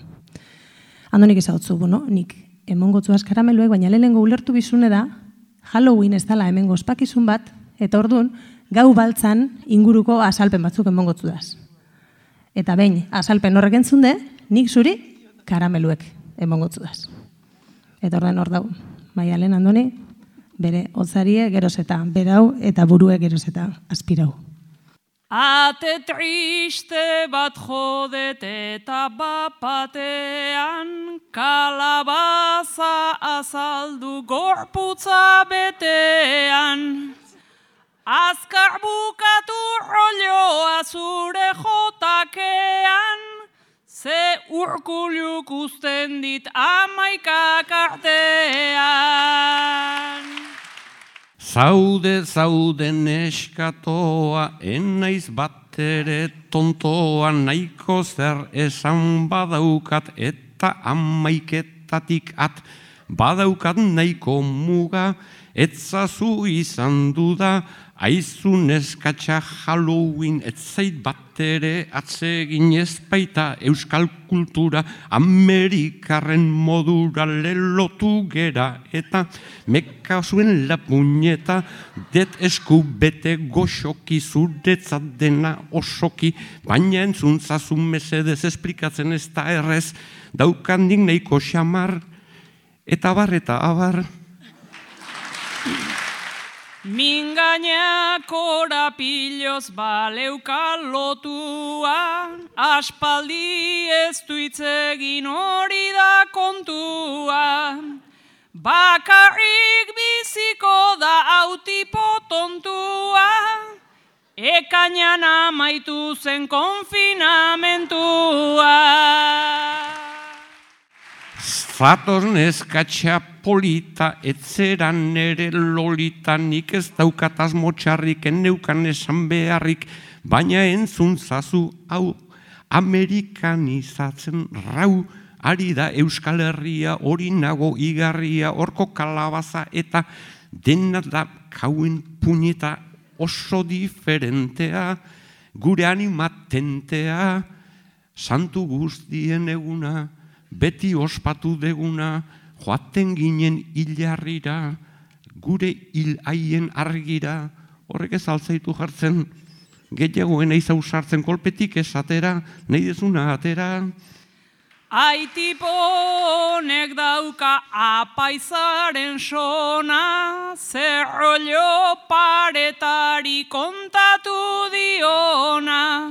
Andonik ezautzu, nik emongotzu karameluek, baina lehenengo ulertu bizune da, Halloween ez dala hemengo ospakizun bat, eta orduan, gau baltzan inguruko azalpen batzuk emongotzu daz. Eta behin, azalpen horrek entzunde, nik zuri karameluek emongotzu daz. Eta orduan hor dau, Maialen Andoni, bere hotzarie geroz eta berau eta burue geroz eta aspirau. Ate triste bat jodet eta bapatean, kalabaza azaldu gorputza betean. Azkar bukatu rolloa zure jotakean, ze urkuluk usten dit amaikak artean. Zaude neskatoa, enaiz batere tontoa, nahiko zer esan badaukat eta amaiketatik at, badaukat nahiko muga, etzazu izan duda, aizu neskatxa Halloween, etzait batere atsegin ezpaita euskal kultura, Amerikarren modura lelotu gera, eta meka zuen lapuñeta, det esku bete goxoki zuretzat dena osoki, baina entzuntzazu mesedez esplikatzen ez da errez, daukandik nahiko xamar, eta abar. Mingaina korapiloz baleuka lotua, aspaldi ez duitzegin hori da kontua. Bakarrik biziko da autipo tontua, ekainan amaitu zen konfinamentua. Zatoz neskatxa polita, etzeran ere lolita, nik ez daukataz motxarrik, enneukan esan beharrik, baina entzuntzazu hau amerikanizatzen rau, ari da Euskal Herria, hori nago igarria, horko kalabaza eta dena da kauen puñeta oso diferentea, gure animatentea, santu guztien eguna, beti ospatu deguna, joaten ginen hilarrira, gure hil haien argira, horrek ez altzaitu jartzen, gehiagoen eiz ausartzen kolpetik esatera, nahi dezuna atera. Aitiponek dauka apaizaren sona, zerrollo paretari kontatu diona.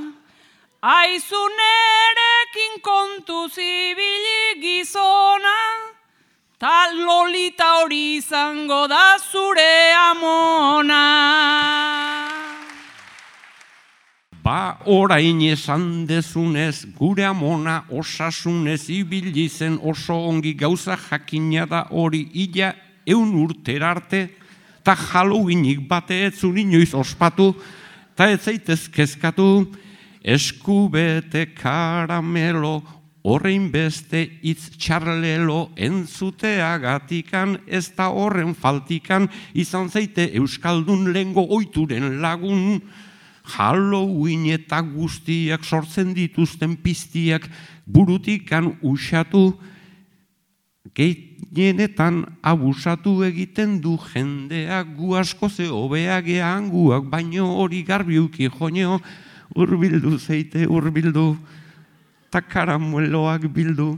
Aizu nerekin kontu zibili gizona, ta lolita hori izango da zure amona. Ba orain esan dezunez, gure amona osasunez ibili zen oso ongi gauza jakina da hori ila 100 urtera arte, ta Halloweenik bate ez zuen inoiz ospatu, ta ez zaitez kezkatu, eskubete karamelo, horrein beste hitz txarlelo entzuteagatikan, ez da horren faltikan, izan zaite Euskaldun lengo oituren lagun, Halloween eta guztiak sortzen dituzten piztiak burutikan usatu, gehienetan abusatu egiten du jendeak, gu asko ze hobeagean guak, baino hori garbiuki joneo, urbildu zeite urbildu, ta karamueloak bildu,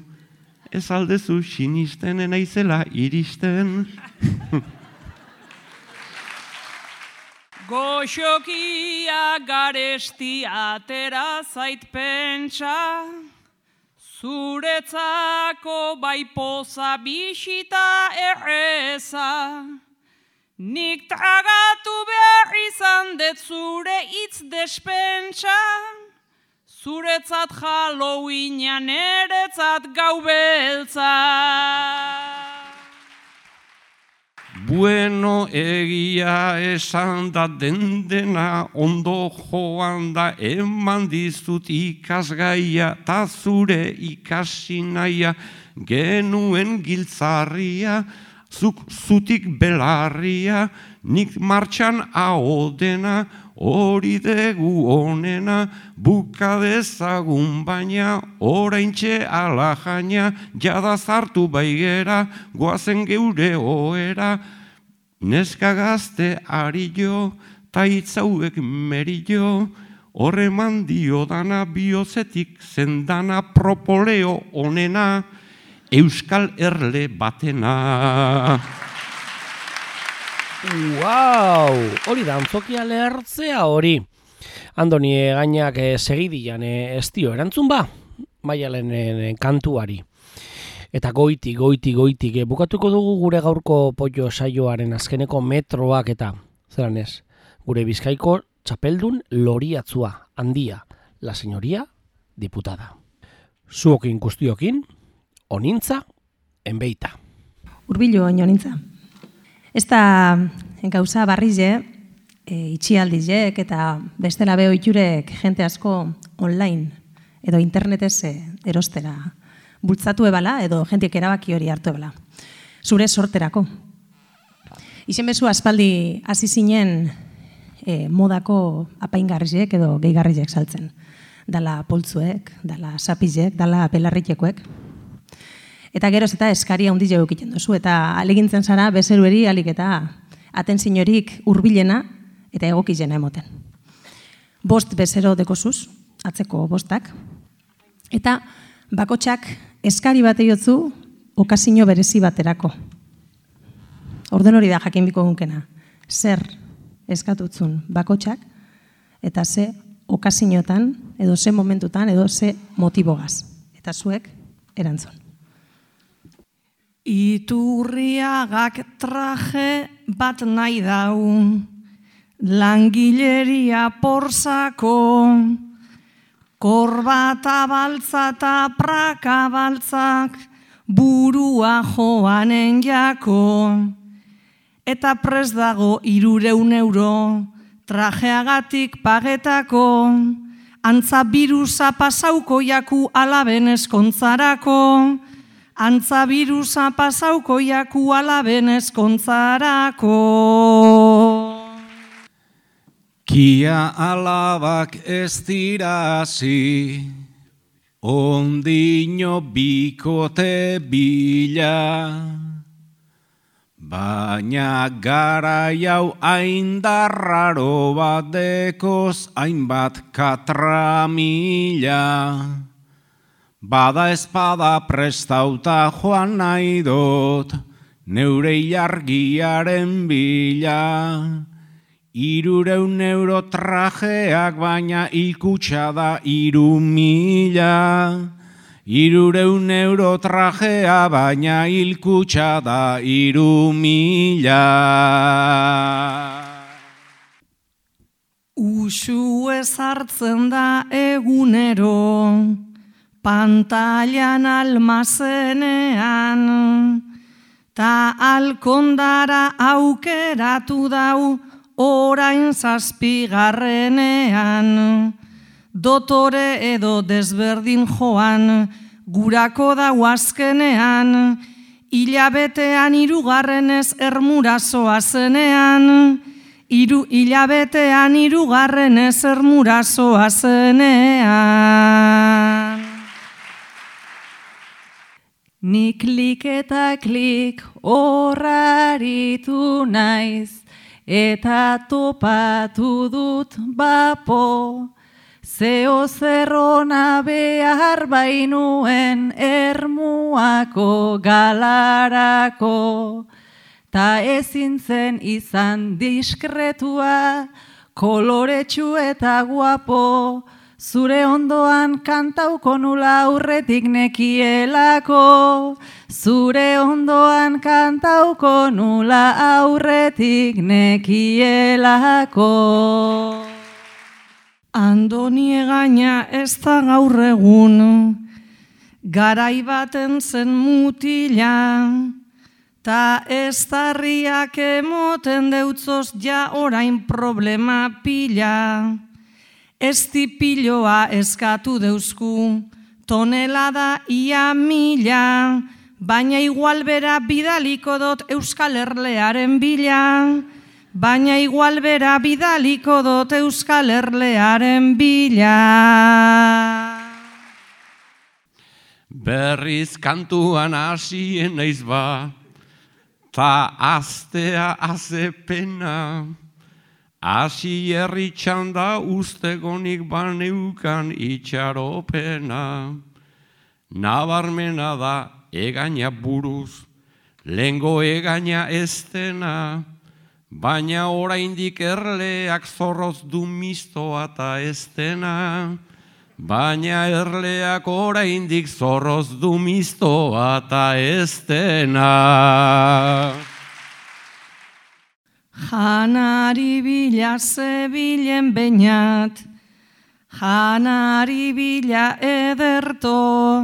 ez aldezu sinisten enaizela iristen. Goxokia garesti atera zait pentsa, zuretzako bai poza bisita erreza, nik tragatu behar izan dut zure hitz despentsa, zuretzat Halloweenan eretzat gau beltza. Bueno, egia esan da dendena ondo joan da eman dizut ikasgaia ta zure ikasi naia genuen giltzarria, zuk zutik belarria, nik martxan ahodena, hori degu onena, bukadezagun baina, oraintxe alajaina, jada zartu baigera, goazen geure oera, neska gazte ari jo, ta itzauek merillo, horreman dio dana biozetik zendana propoleo onena, Euskal Erle batena. Hori da, antzokia lehertzea hori. Andoni gainak segidian ez dio erantzun ba, Maialen kantuari. Eta goitik bukatuko dugu gure gaurko pollo saioaren azkeneko metroak eta, zeran ez, gure Bizkaiko txapeldun loriatzua, handia, la señoría diputada. Zuokin guztiokin, onintza, enbeita. Urbillo onintza. Ez da gauza barrize, itxialdizek eta bestela beho iturek jente asko online edo internetez erostera bultzatu ebala edo jentik erabaki hori hartu ebala. Zure sorterako. Izen bezu aspaldi hasi zinen modako apaingarrizek edo gehigarrizek saltzen. Dala poltzuek, dala sapizek, dala belarritekoek. Eta geroz eta eskaria hundi jau egiten duzu, eta alegintzen zara bezerueri alik eta atentzinorik hurbilena eta egokizena emoten. 5 bezero dekozuz, atzeko 5, eta bakotxak eskari bat eiotzu okazio berezi baterako. Orden hori da jakin biko gunkena. Zer eskatutzun bakotxak eta ze okazioetan, edo ze momentutan, edo ze motibogaz. Eta zuek erantzun. Iturriagak traje bat nahi daun, langileria porzako, korbata baltza eta praka baltzak, burua joanen jako, eta prest dago 300 euro, trajeagatik pagetako, antza birusa pasauko jaku alaben eskontzarako, antza birusa pasauko jaku alaben eskontzarako. Kia alabak ez dirazi, ondino bikote bila, baina gara jau aindarraro bat dekoz hainbat katramila. Bada espada prestauta joan nahi dut, neure ilargiaren bila. 300 euro trajeak baina hilkutxa da 3.000. 300 euro trajea baina hilkutxa da 3.000. Usue sartzen da egunero, pantailan almazenean, ta alkondara aukeratu dau orain 7. Dotore edo desberdin joan, gurako dau azkenean, hilabetean 3 ermurazoa zenean, hilabetean 3 ermurazoa zenean. Nik klik eta klik horraritu naiz, eta topatu dut bapo, zeo zerrona behar bainuen Ermuako galarako, ta ezin zen izan diskretua, koloretsu eta guapo, zure ondoan kantauko nula aurretik nekielako, zure ondoan kantauko nula aurretik nekielako. Andoni Egaña ez da gaur egun, garai baten zen mutila, ta ez darriak emoten deutzoz ja orain problema pila. Ez tipiloa eskatu deusku, tonelada ia 1000, baina igual bera bidaliko dot Euskal Herlearen bila. Baina igual bera bidaliko dot Euskal Herlearen bila. Berriz kantuan hasien naiz ba, ta aztea azepena, hasi herri txanda ustegonik baneukan itxaropena. Nabarmena da Egaña buruz, lehengo Egaña ez dena, baina oraindik erleak zorroz du mistoa eta ez dena. Baina erleak oraindik zorroz du mistoa eta ez dena. Janari bila zebilen beinat, janari bila ederto,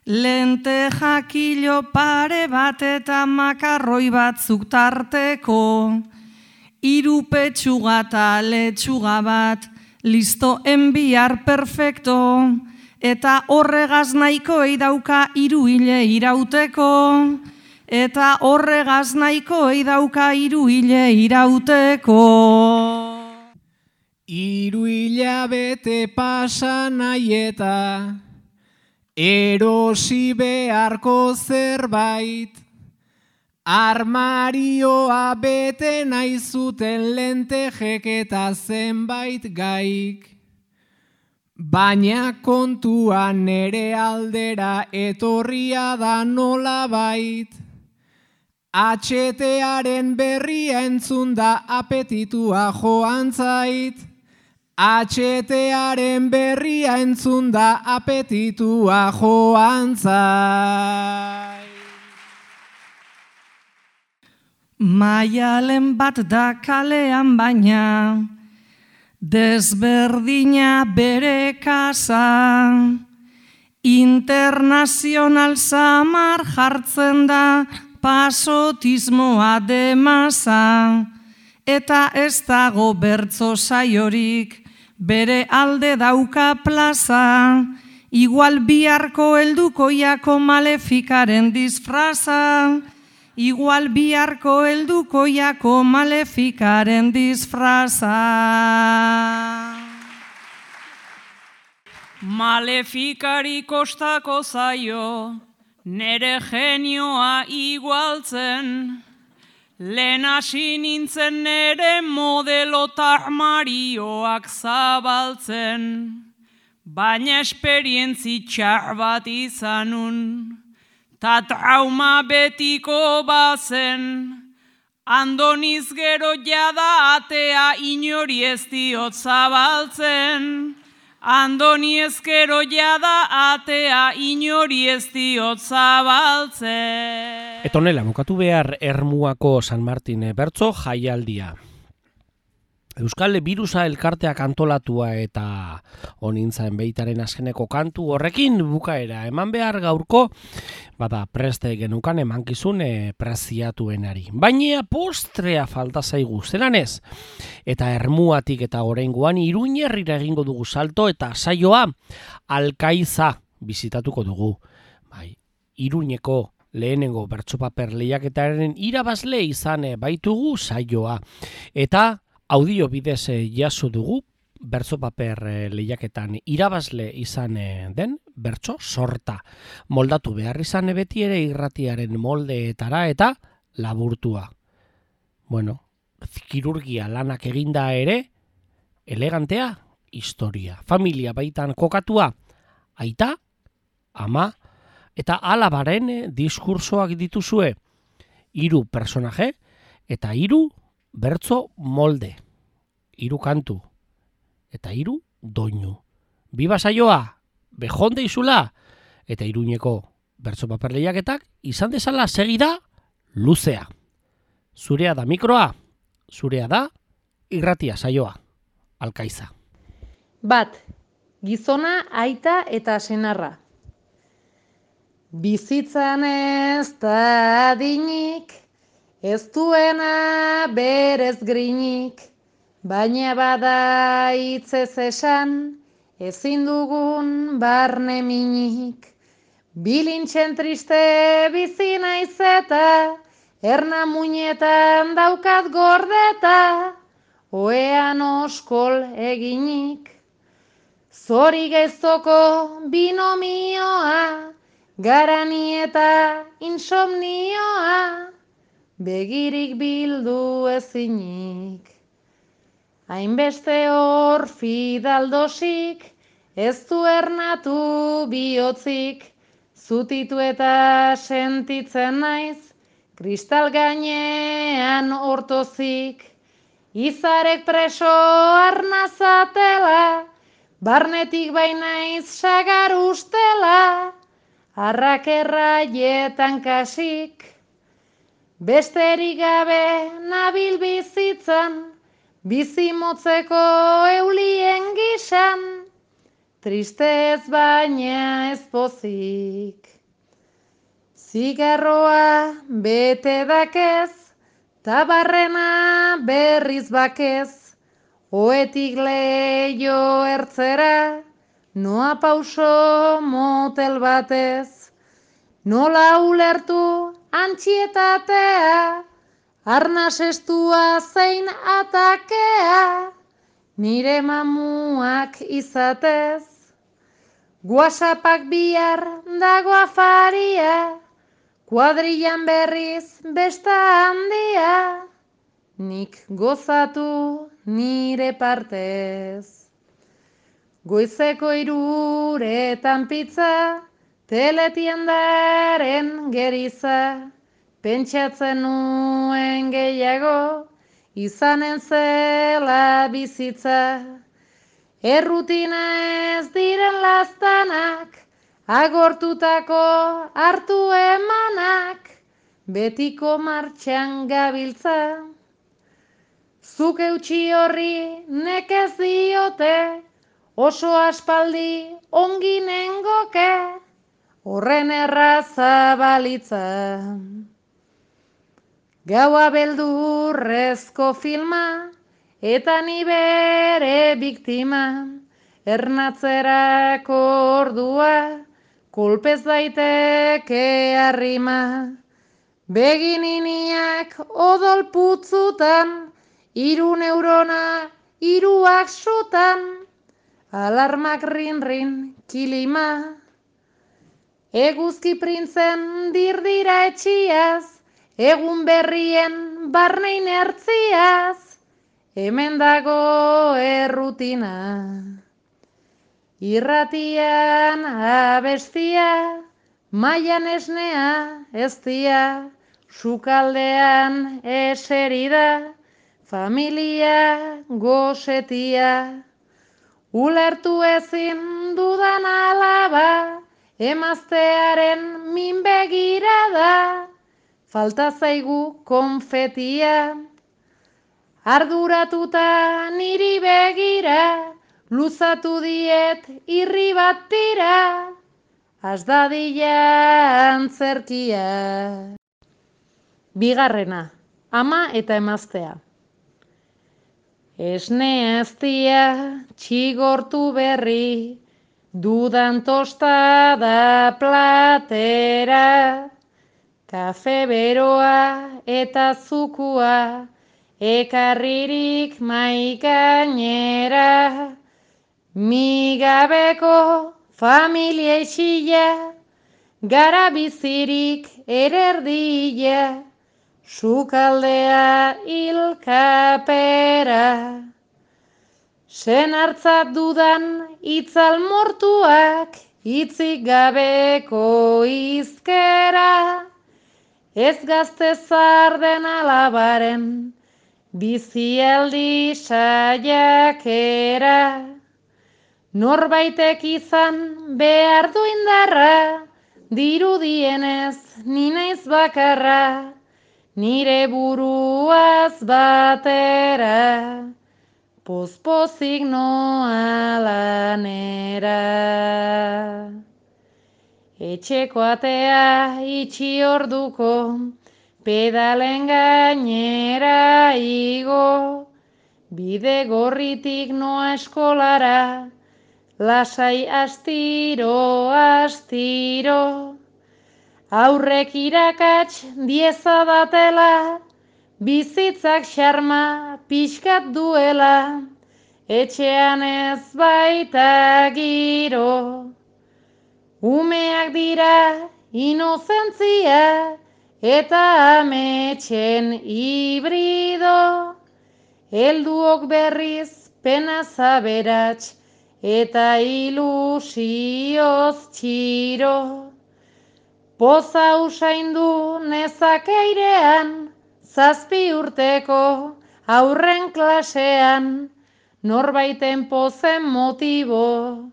lente jakilo pare bat eta makarroi batzuk tarteko, 3 petxuga eta letxuga bat, listo enbiar perfecto, eta horregaz nahiko eidauka 3 hile irauteko, eta horregaz nahiko eidauka 3 hile irauteko. 3 hilabete pasa nahi eta erosi beharko zerbait, armarioa bete nahi zuten lentejek eta zenbait gaik. Baina kontua nere aldera etorria da nolabait, HTaren berria entzun da apetitua joan zait, HTaren berria entzun da apetitua joan zait. Maialen bat da kalean baina, desberdina bere kasa, internazional samar jartzen da pasotismoa demasa, eta ez dago bertso saiorik, bere alde dauka plaza, igual biharko heldukoiako malefikaren disfraza, igual biharko heldukoiako malefikaren disfraza. Malefikari kostako zaio, nere genioa igualtzen, lehen hasi nintzen nere modelo armarioak zabaltzen, baina esperientzi txar bat izanun, ta trauma betiko bazen, andoniz gero jada atea inori ez diot zabaltzen, andoni ezkero jada atea inori ez diot zabaltzen. Eta honela, bukatu behar Ermuako San Martin bertso jaialdia. Euskal Birusa elkarteak antolatua eta onintzaen beitaren azkeneko kantu horrekin bukaera eman behar gaurko, bada preste genukan emankizun preziatuenari. Baina postrea falta zaigu, zelan ez? Eta Ermuatik eta oraingoan Iruñerrira egingo dugu salto eta saioa Alkaiza bizitatuko dugu. Bai, Iruñeko lehenengo bertsopaper lehiaketaren irabazle izan baitugu saioa. Eta audio bidez jaso dugu bertsopaper lehiaketan irabazle izan den bertso sorta. Moldatu behar izan beti ere irratiaren moldeetara eta laburtua. Bueno, kirurgia lanak eginda ere, elegantea historia. Familia baitan kokatua, aita, ama, eta alabaren diskursoak dituzue. 3 personaje eta 3 bertso molde, 3 kantu, eta 3 doinu. Biba saioa, bejonde izula, eta Iruñeko bertsopaper lehiaketak izan dezala segida luzea. Zurea da mikroa, zurea da irratia saioa, Alkaiza. 1. Gizona, aita eta senarra. Bizitzan ez da adinik, ez duena berez grinik, baina bada hitzez esan, ezin dugun barne minik. Bilintxen triste bizi naiz eta, erna muinetan daukat gordeta, oean oskol eginik. Zori gezoko binomioa, garani eta insomnioa, begirik bildu ezinik. Hainbeste hor fidaldosik, ez du ernatu bihotzik, zutitu eta sentitzen naiz, kristal gainean hortozik. Izarek preso arnazatela, barnetik bainaiz sagar ustela, arrak erraietan kasik. Besterik gabe nabil bizitzan, bizi motzeko eulien gisan, triste ez baina ez pozik. Zigarroa bete dakez, tabarrena berriz bakez, oetik leio ertzera, noa pauso motel batez. Nola ulertu antxietatea, arnaz estua zein atakea, nire mamuak izatez. WhatsAppak bihar dago afaria, kuadrillan berriz besta handia, nik gozatu nire partez. Goizeko 3 pizza, teletiendaren geriza, pentsatzen nuen gehiago, izanen zela bizitza. Errutina ez diren laztanak, agortutako hartu emanak, betiko martxan gabiltza. Zuk eutxi horri nekez diote, oso aspaldi ongi nengoke, horren erraza balitza. Gaua beldurrezko filma, eta ni bere biktima, ernatzerako ordua, kolpez daiteke arrima. Begininiak odol putzutan, 3 neurona 3 sutan, alarmak rin-rin kilima. Eguzki printzen dirdira etxiaz, egun berrien barnein ertziaz, hemen dago errutina. Irratian abestia, mailan esnea eztia, sukaldean eserida, familia gosetia. Ulertu ezin dudan alaba, emaztearen min begirada, falta zaigu konfetia. arduratuta niri begira, luzatu diet irri bat tira, az dadila antzerkia. Bigarrena, ama eta emaztea. Esne aztia txigortu berri, dudan tostada platera, kafe beroa eta zukua, ekarririk maigainera, migabeko familia isila, gara bizirik ererdila, sukaldea ilkapera. Sen hartzat dudan itzal mortuak, hitzik gabeko izkera, ez gazte zarden alabaren, bizialdi saiakera. Norbaitek izan behar du indarra, dirudienez ni naiz bakarra, nire buruaz batera, pozpozik noa lanera. Etxeko atea itxi orduko, pedalen gainera igo, bide gorritik noa eskolara, lasai astiro, astiro. Aurrek irakats dieza datela, bizitzak xarma pixkat duela, etxean ez baita giro. Umeak dira inozentzia eta ametxen hibrido, helduok berriz pena zaberats eta ilusioz txiro. Poza usaindu nezake airean, 7 urteko aurren klasean, norbaiten pozen motibo,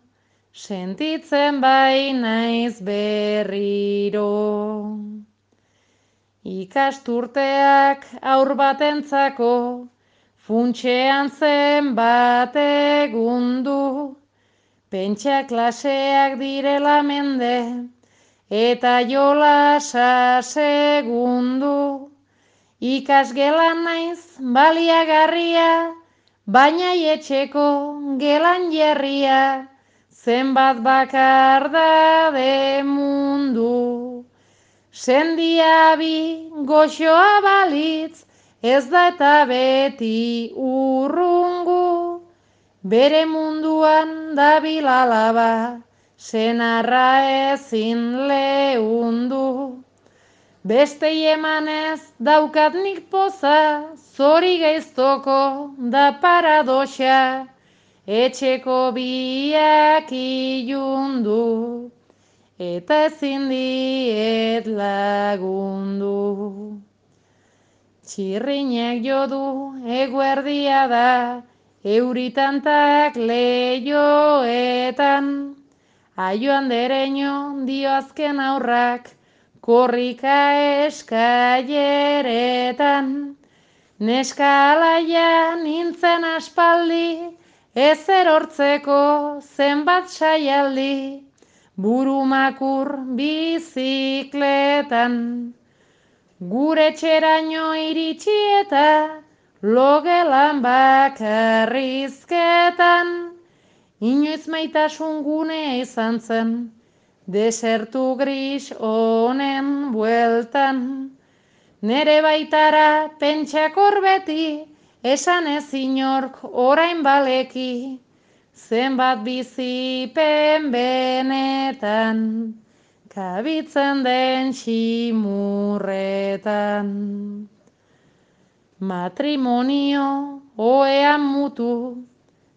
sentitzen bai naiz berriro. Ikasturteak aur batentzako, funtsean zen bat egundu, pentsa klaseak direla mende, eta jolasa segundu. Ikasgelan naiz baliagarria, baina etxeko gelan jarria, zenbat bakar da mundu. Sendia bi goxoa balitz, ez da eta beti urrungu, bere munduan dabil alaba, senarra ezin leundu. Bestei emanez daukat nik poza, zori gaiztoko da paradoxa, etxeko biak ilundu, eta ezin diet lagundu. Txirrinek jodu eguerdia da, euritantak lehioetan, aio andereño dio azken aurrak, korrika eskaileretan. Neska alaia nintzen aspaldi, ez erortzeko zenbat saialdi, burumakur bizikletan. Gure txeraino iritsi eta logelan bakarrizketan, inoiz maitasun gunea izan zen, desertu gris honen bueltan. Nere baitara pentsakor beti, esan ez inork orain baleki, zenbat bizipen benetan, kabitzen den ximurretan. Matrimonio oean mutu,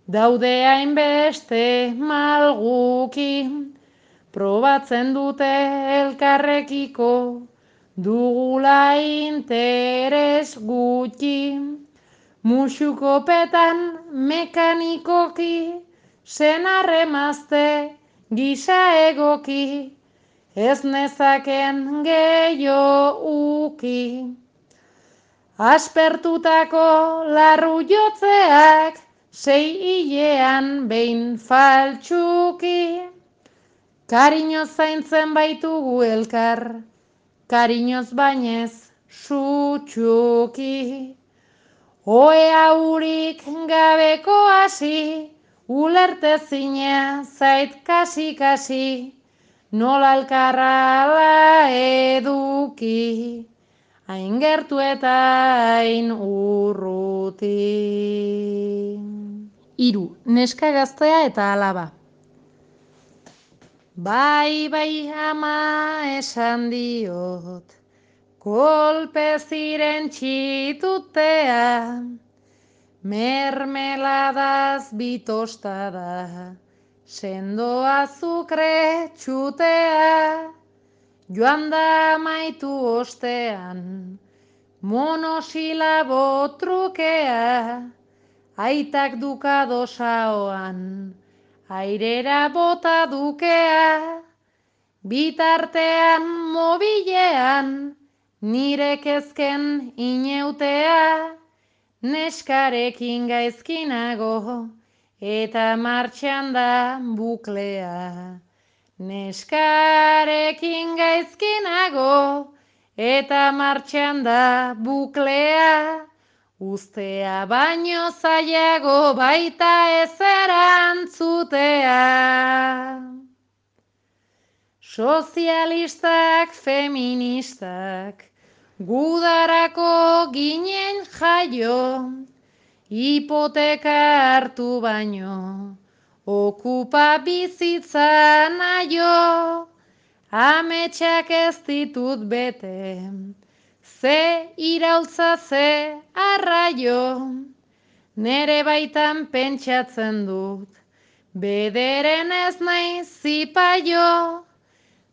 daude hainbeste malguki, probatzen dute elkarrekiko, dugula interes gutxi. Musukopetan mekanikoki, senarremazte gisa egoki, ez nezaken gehiago uki. Aspertutako larru jotzeak 6 hilean behin faltsuki. Kariñoz zaintzen baitugu elkar, kariñoz bainez sutsuki. Oea urik gabeko hasi, ulertezina zait kasi-kasi, nola alkarrala eduki, hain gertu eta hain urruti. 3. Neska gaztea eta alaba. Bai, ama esan diot, kolpe ziren txitutea, mermeladaz bitostada, sendo azukre txutea, joan da maitu ostean, monosilabo trukea, aitak dukado saoan, airera bota dukea, bitartean mobilean, nire kezken ineutea, neskarekin gaizkinago, eta martxan da buklea. Neskarekin gaizkinago, eta martxan da buklea, ustea baino zailago baita ez erantzutea. Sozialistak, feministak, gudarako ginen jaio, hipoteka hartu baino, okupa bizitza naio, ametsak ez ditut bete, ze iraultza ze arraio, nere baitan pentsatzen dut, bederen ez nahi zipaio,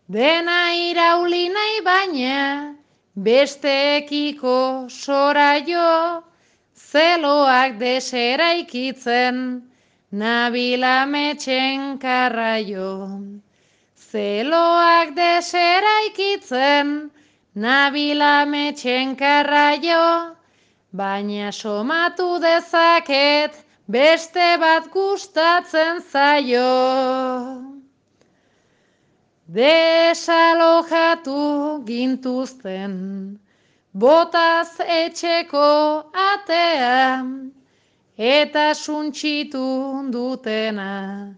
dena irauli nahi baina, besteekiko soraio, zeloak deseraikitzen, nabila metxen karraio. Zeloak deseraikitzen, nabila metxen karraio, baina somatu dezaket, beste bat gustatzen zaio. Desalojatu gintuzten, botaz etxeko atea, eta suntsitu dutena,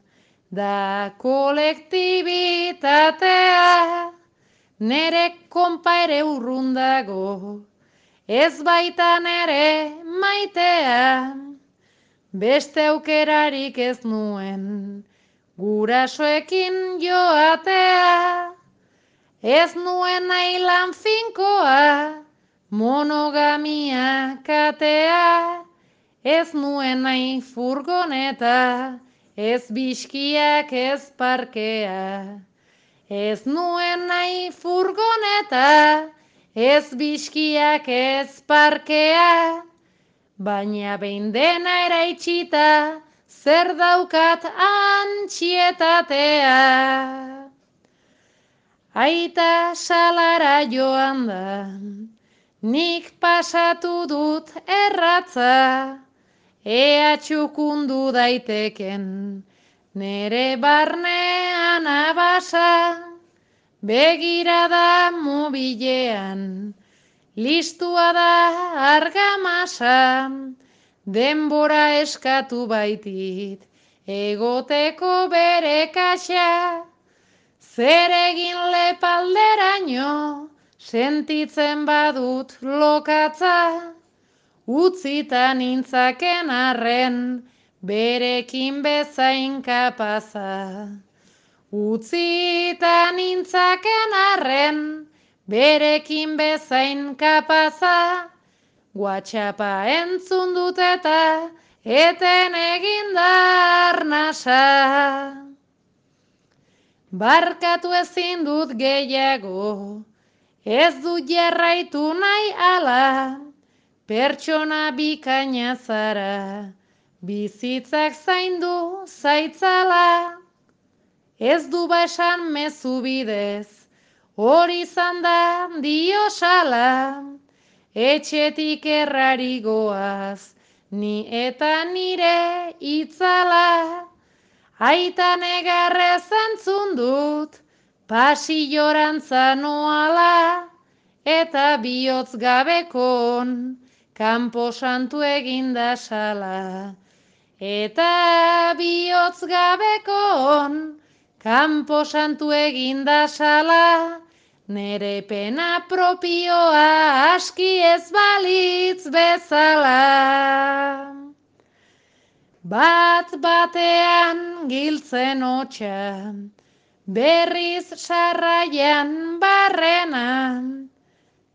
da kolektibitatea, nere konpa ere urrundago, ez baita nere maitea, beste aukerarik ez nuen, gurasoekin joatea, ez nuen nahi lan finkoa, monogamia katea, ez nuen nahi furgoneta, ez biskiak ez parkea. Ez nuen nahi furgoneta, ez biskiak ez parkea, baina behin dena eraitsita, zer daukat antxietatea. Aita salara joan da, nik pasatu dut erratza, ea txukundu daiteken, nere barnean abasa, begirada mobilean, listua da argamasa, denbora eskatu baitit, egoteko bere kaxa, zer egin lepalderaino, sentitzen badut lokatza, utzita nintzaken arren, berekin bezain kapaza. Utzita nintzaken arren, berekin bezain kapaza, WhatsAppa entzun dut eta eten egin da arnasa. Barkatu ezin dut gehiago, ez dut jarraitu nahi ala, pertsona bikaina zara, bizitzak zaindu zaitzala. Ez du ba esan mezu bidez, hori izan da diosala, etxetik errari goaz, ni eta nire itzala. Aita negarrez entzun dut, pasilorantza noala, eta bihotz gabekon, kanpo santu eginda sala. Eta bihotz gabekon, kanpo santu eginda sala, nere pena propioa aski ez balitz bezala. Bat batean giltzen hotxa, berriz sarraian barrena,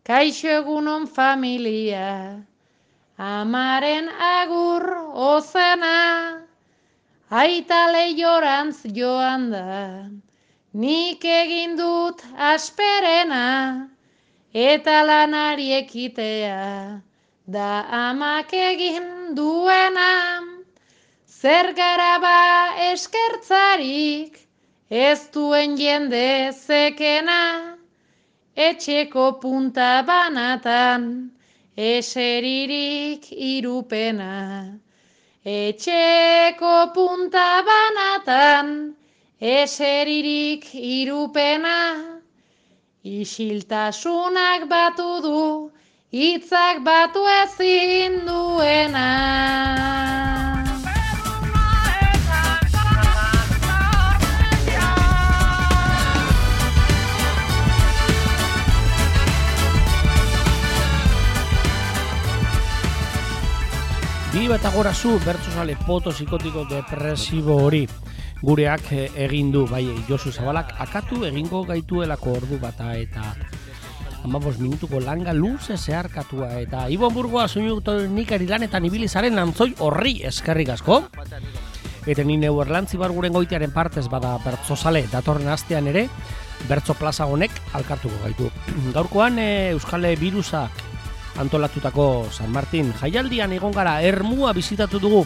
kaixo egunon familia, amaren agur ozena, aita leiorantz joan da, nik egin dut asperena, eta lanari ekitea, da amak egin duena. Zer gara ba eskertzarik, ez duen jende zekena, etxeko punta banatan, eseririk irupena. Etxeko punta banatan, eseririk irupena. Isiltasunak batu du, hitzak batu ezin duena. Bi eta gora zu bertsozale poto psikotiko depresibo hori gureak egin du, bai Josu Zabalak akatu egingo gaituelako ordu bata eta 15 minutuko langa luze zeharkatua eta Ibon Burgoa soinunikari lanetan ibili zaren antzoi horri eskerrik asko. Eta ni neu erlantzi barguren goitearen partez bada bertsozale datorren astean ere bertso plaza honek alkartuko gaitu. Gaurkoan Euskal Birusak antolatutako San Martin jaialdian egon gara ermua bizitatu dugu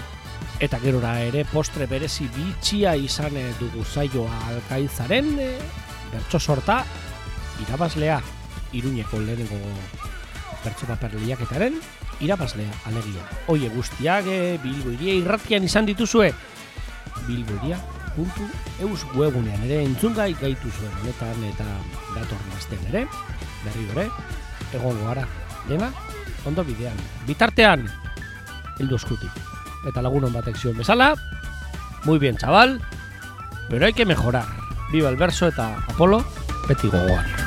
eta gerora ere postre berezi bitxia izan dugu saioa Alkaizaren bertso sorta irabazlea Iruñeko lehenengo bertso paper lehiaketaren irabazlea alegia. Oie guztiak Bilbo Hiria irratian izan dituzue bilbohiria.eus webunean ere entzungai gaituzuen honetan eta datorren astean ere berriro ere egongo gara. Dena, ondo bidean. Bitartean, heldu eskutik. Eta lagunon batek zion bezala, muy bien, chaval, pero hay que mejorar. Viva el verso eta Apolo, beti gogoan.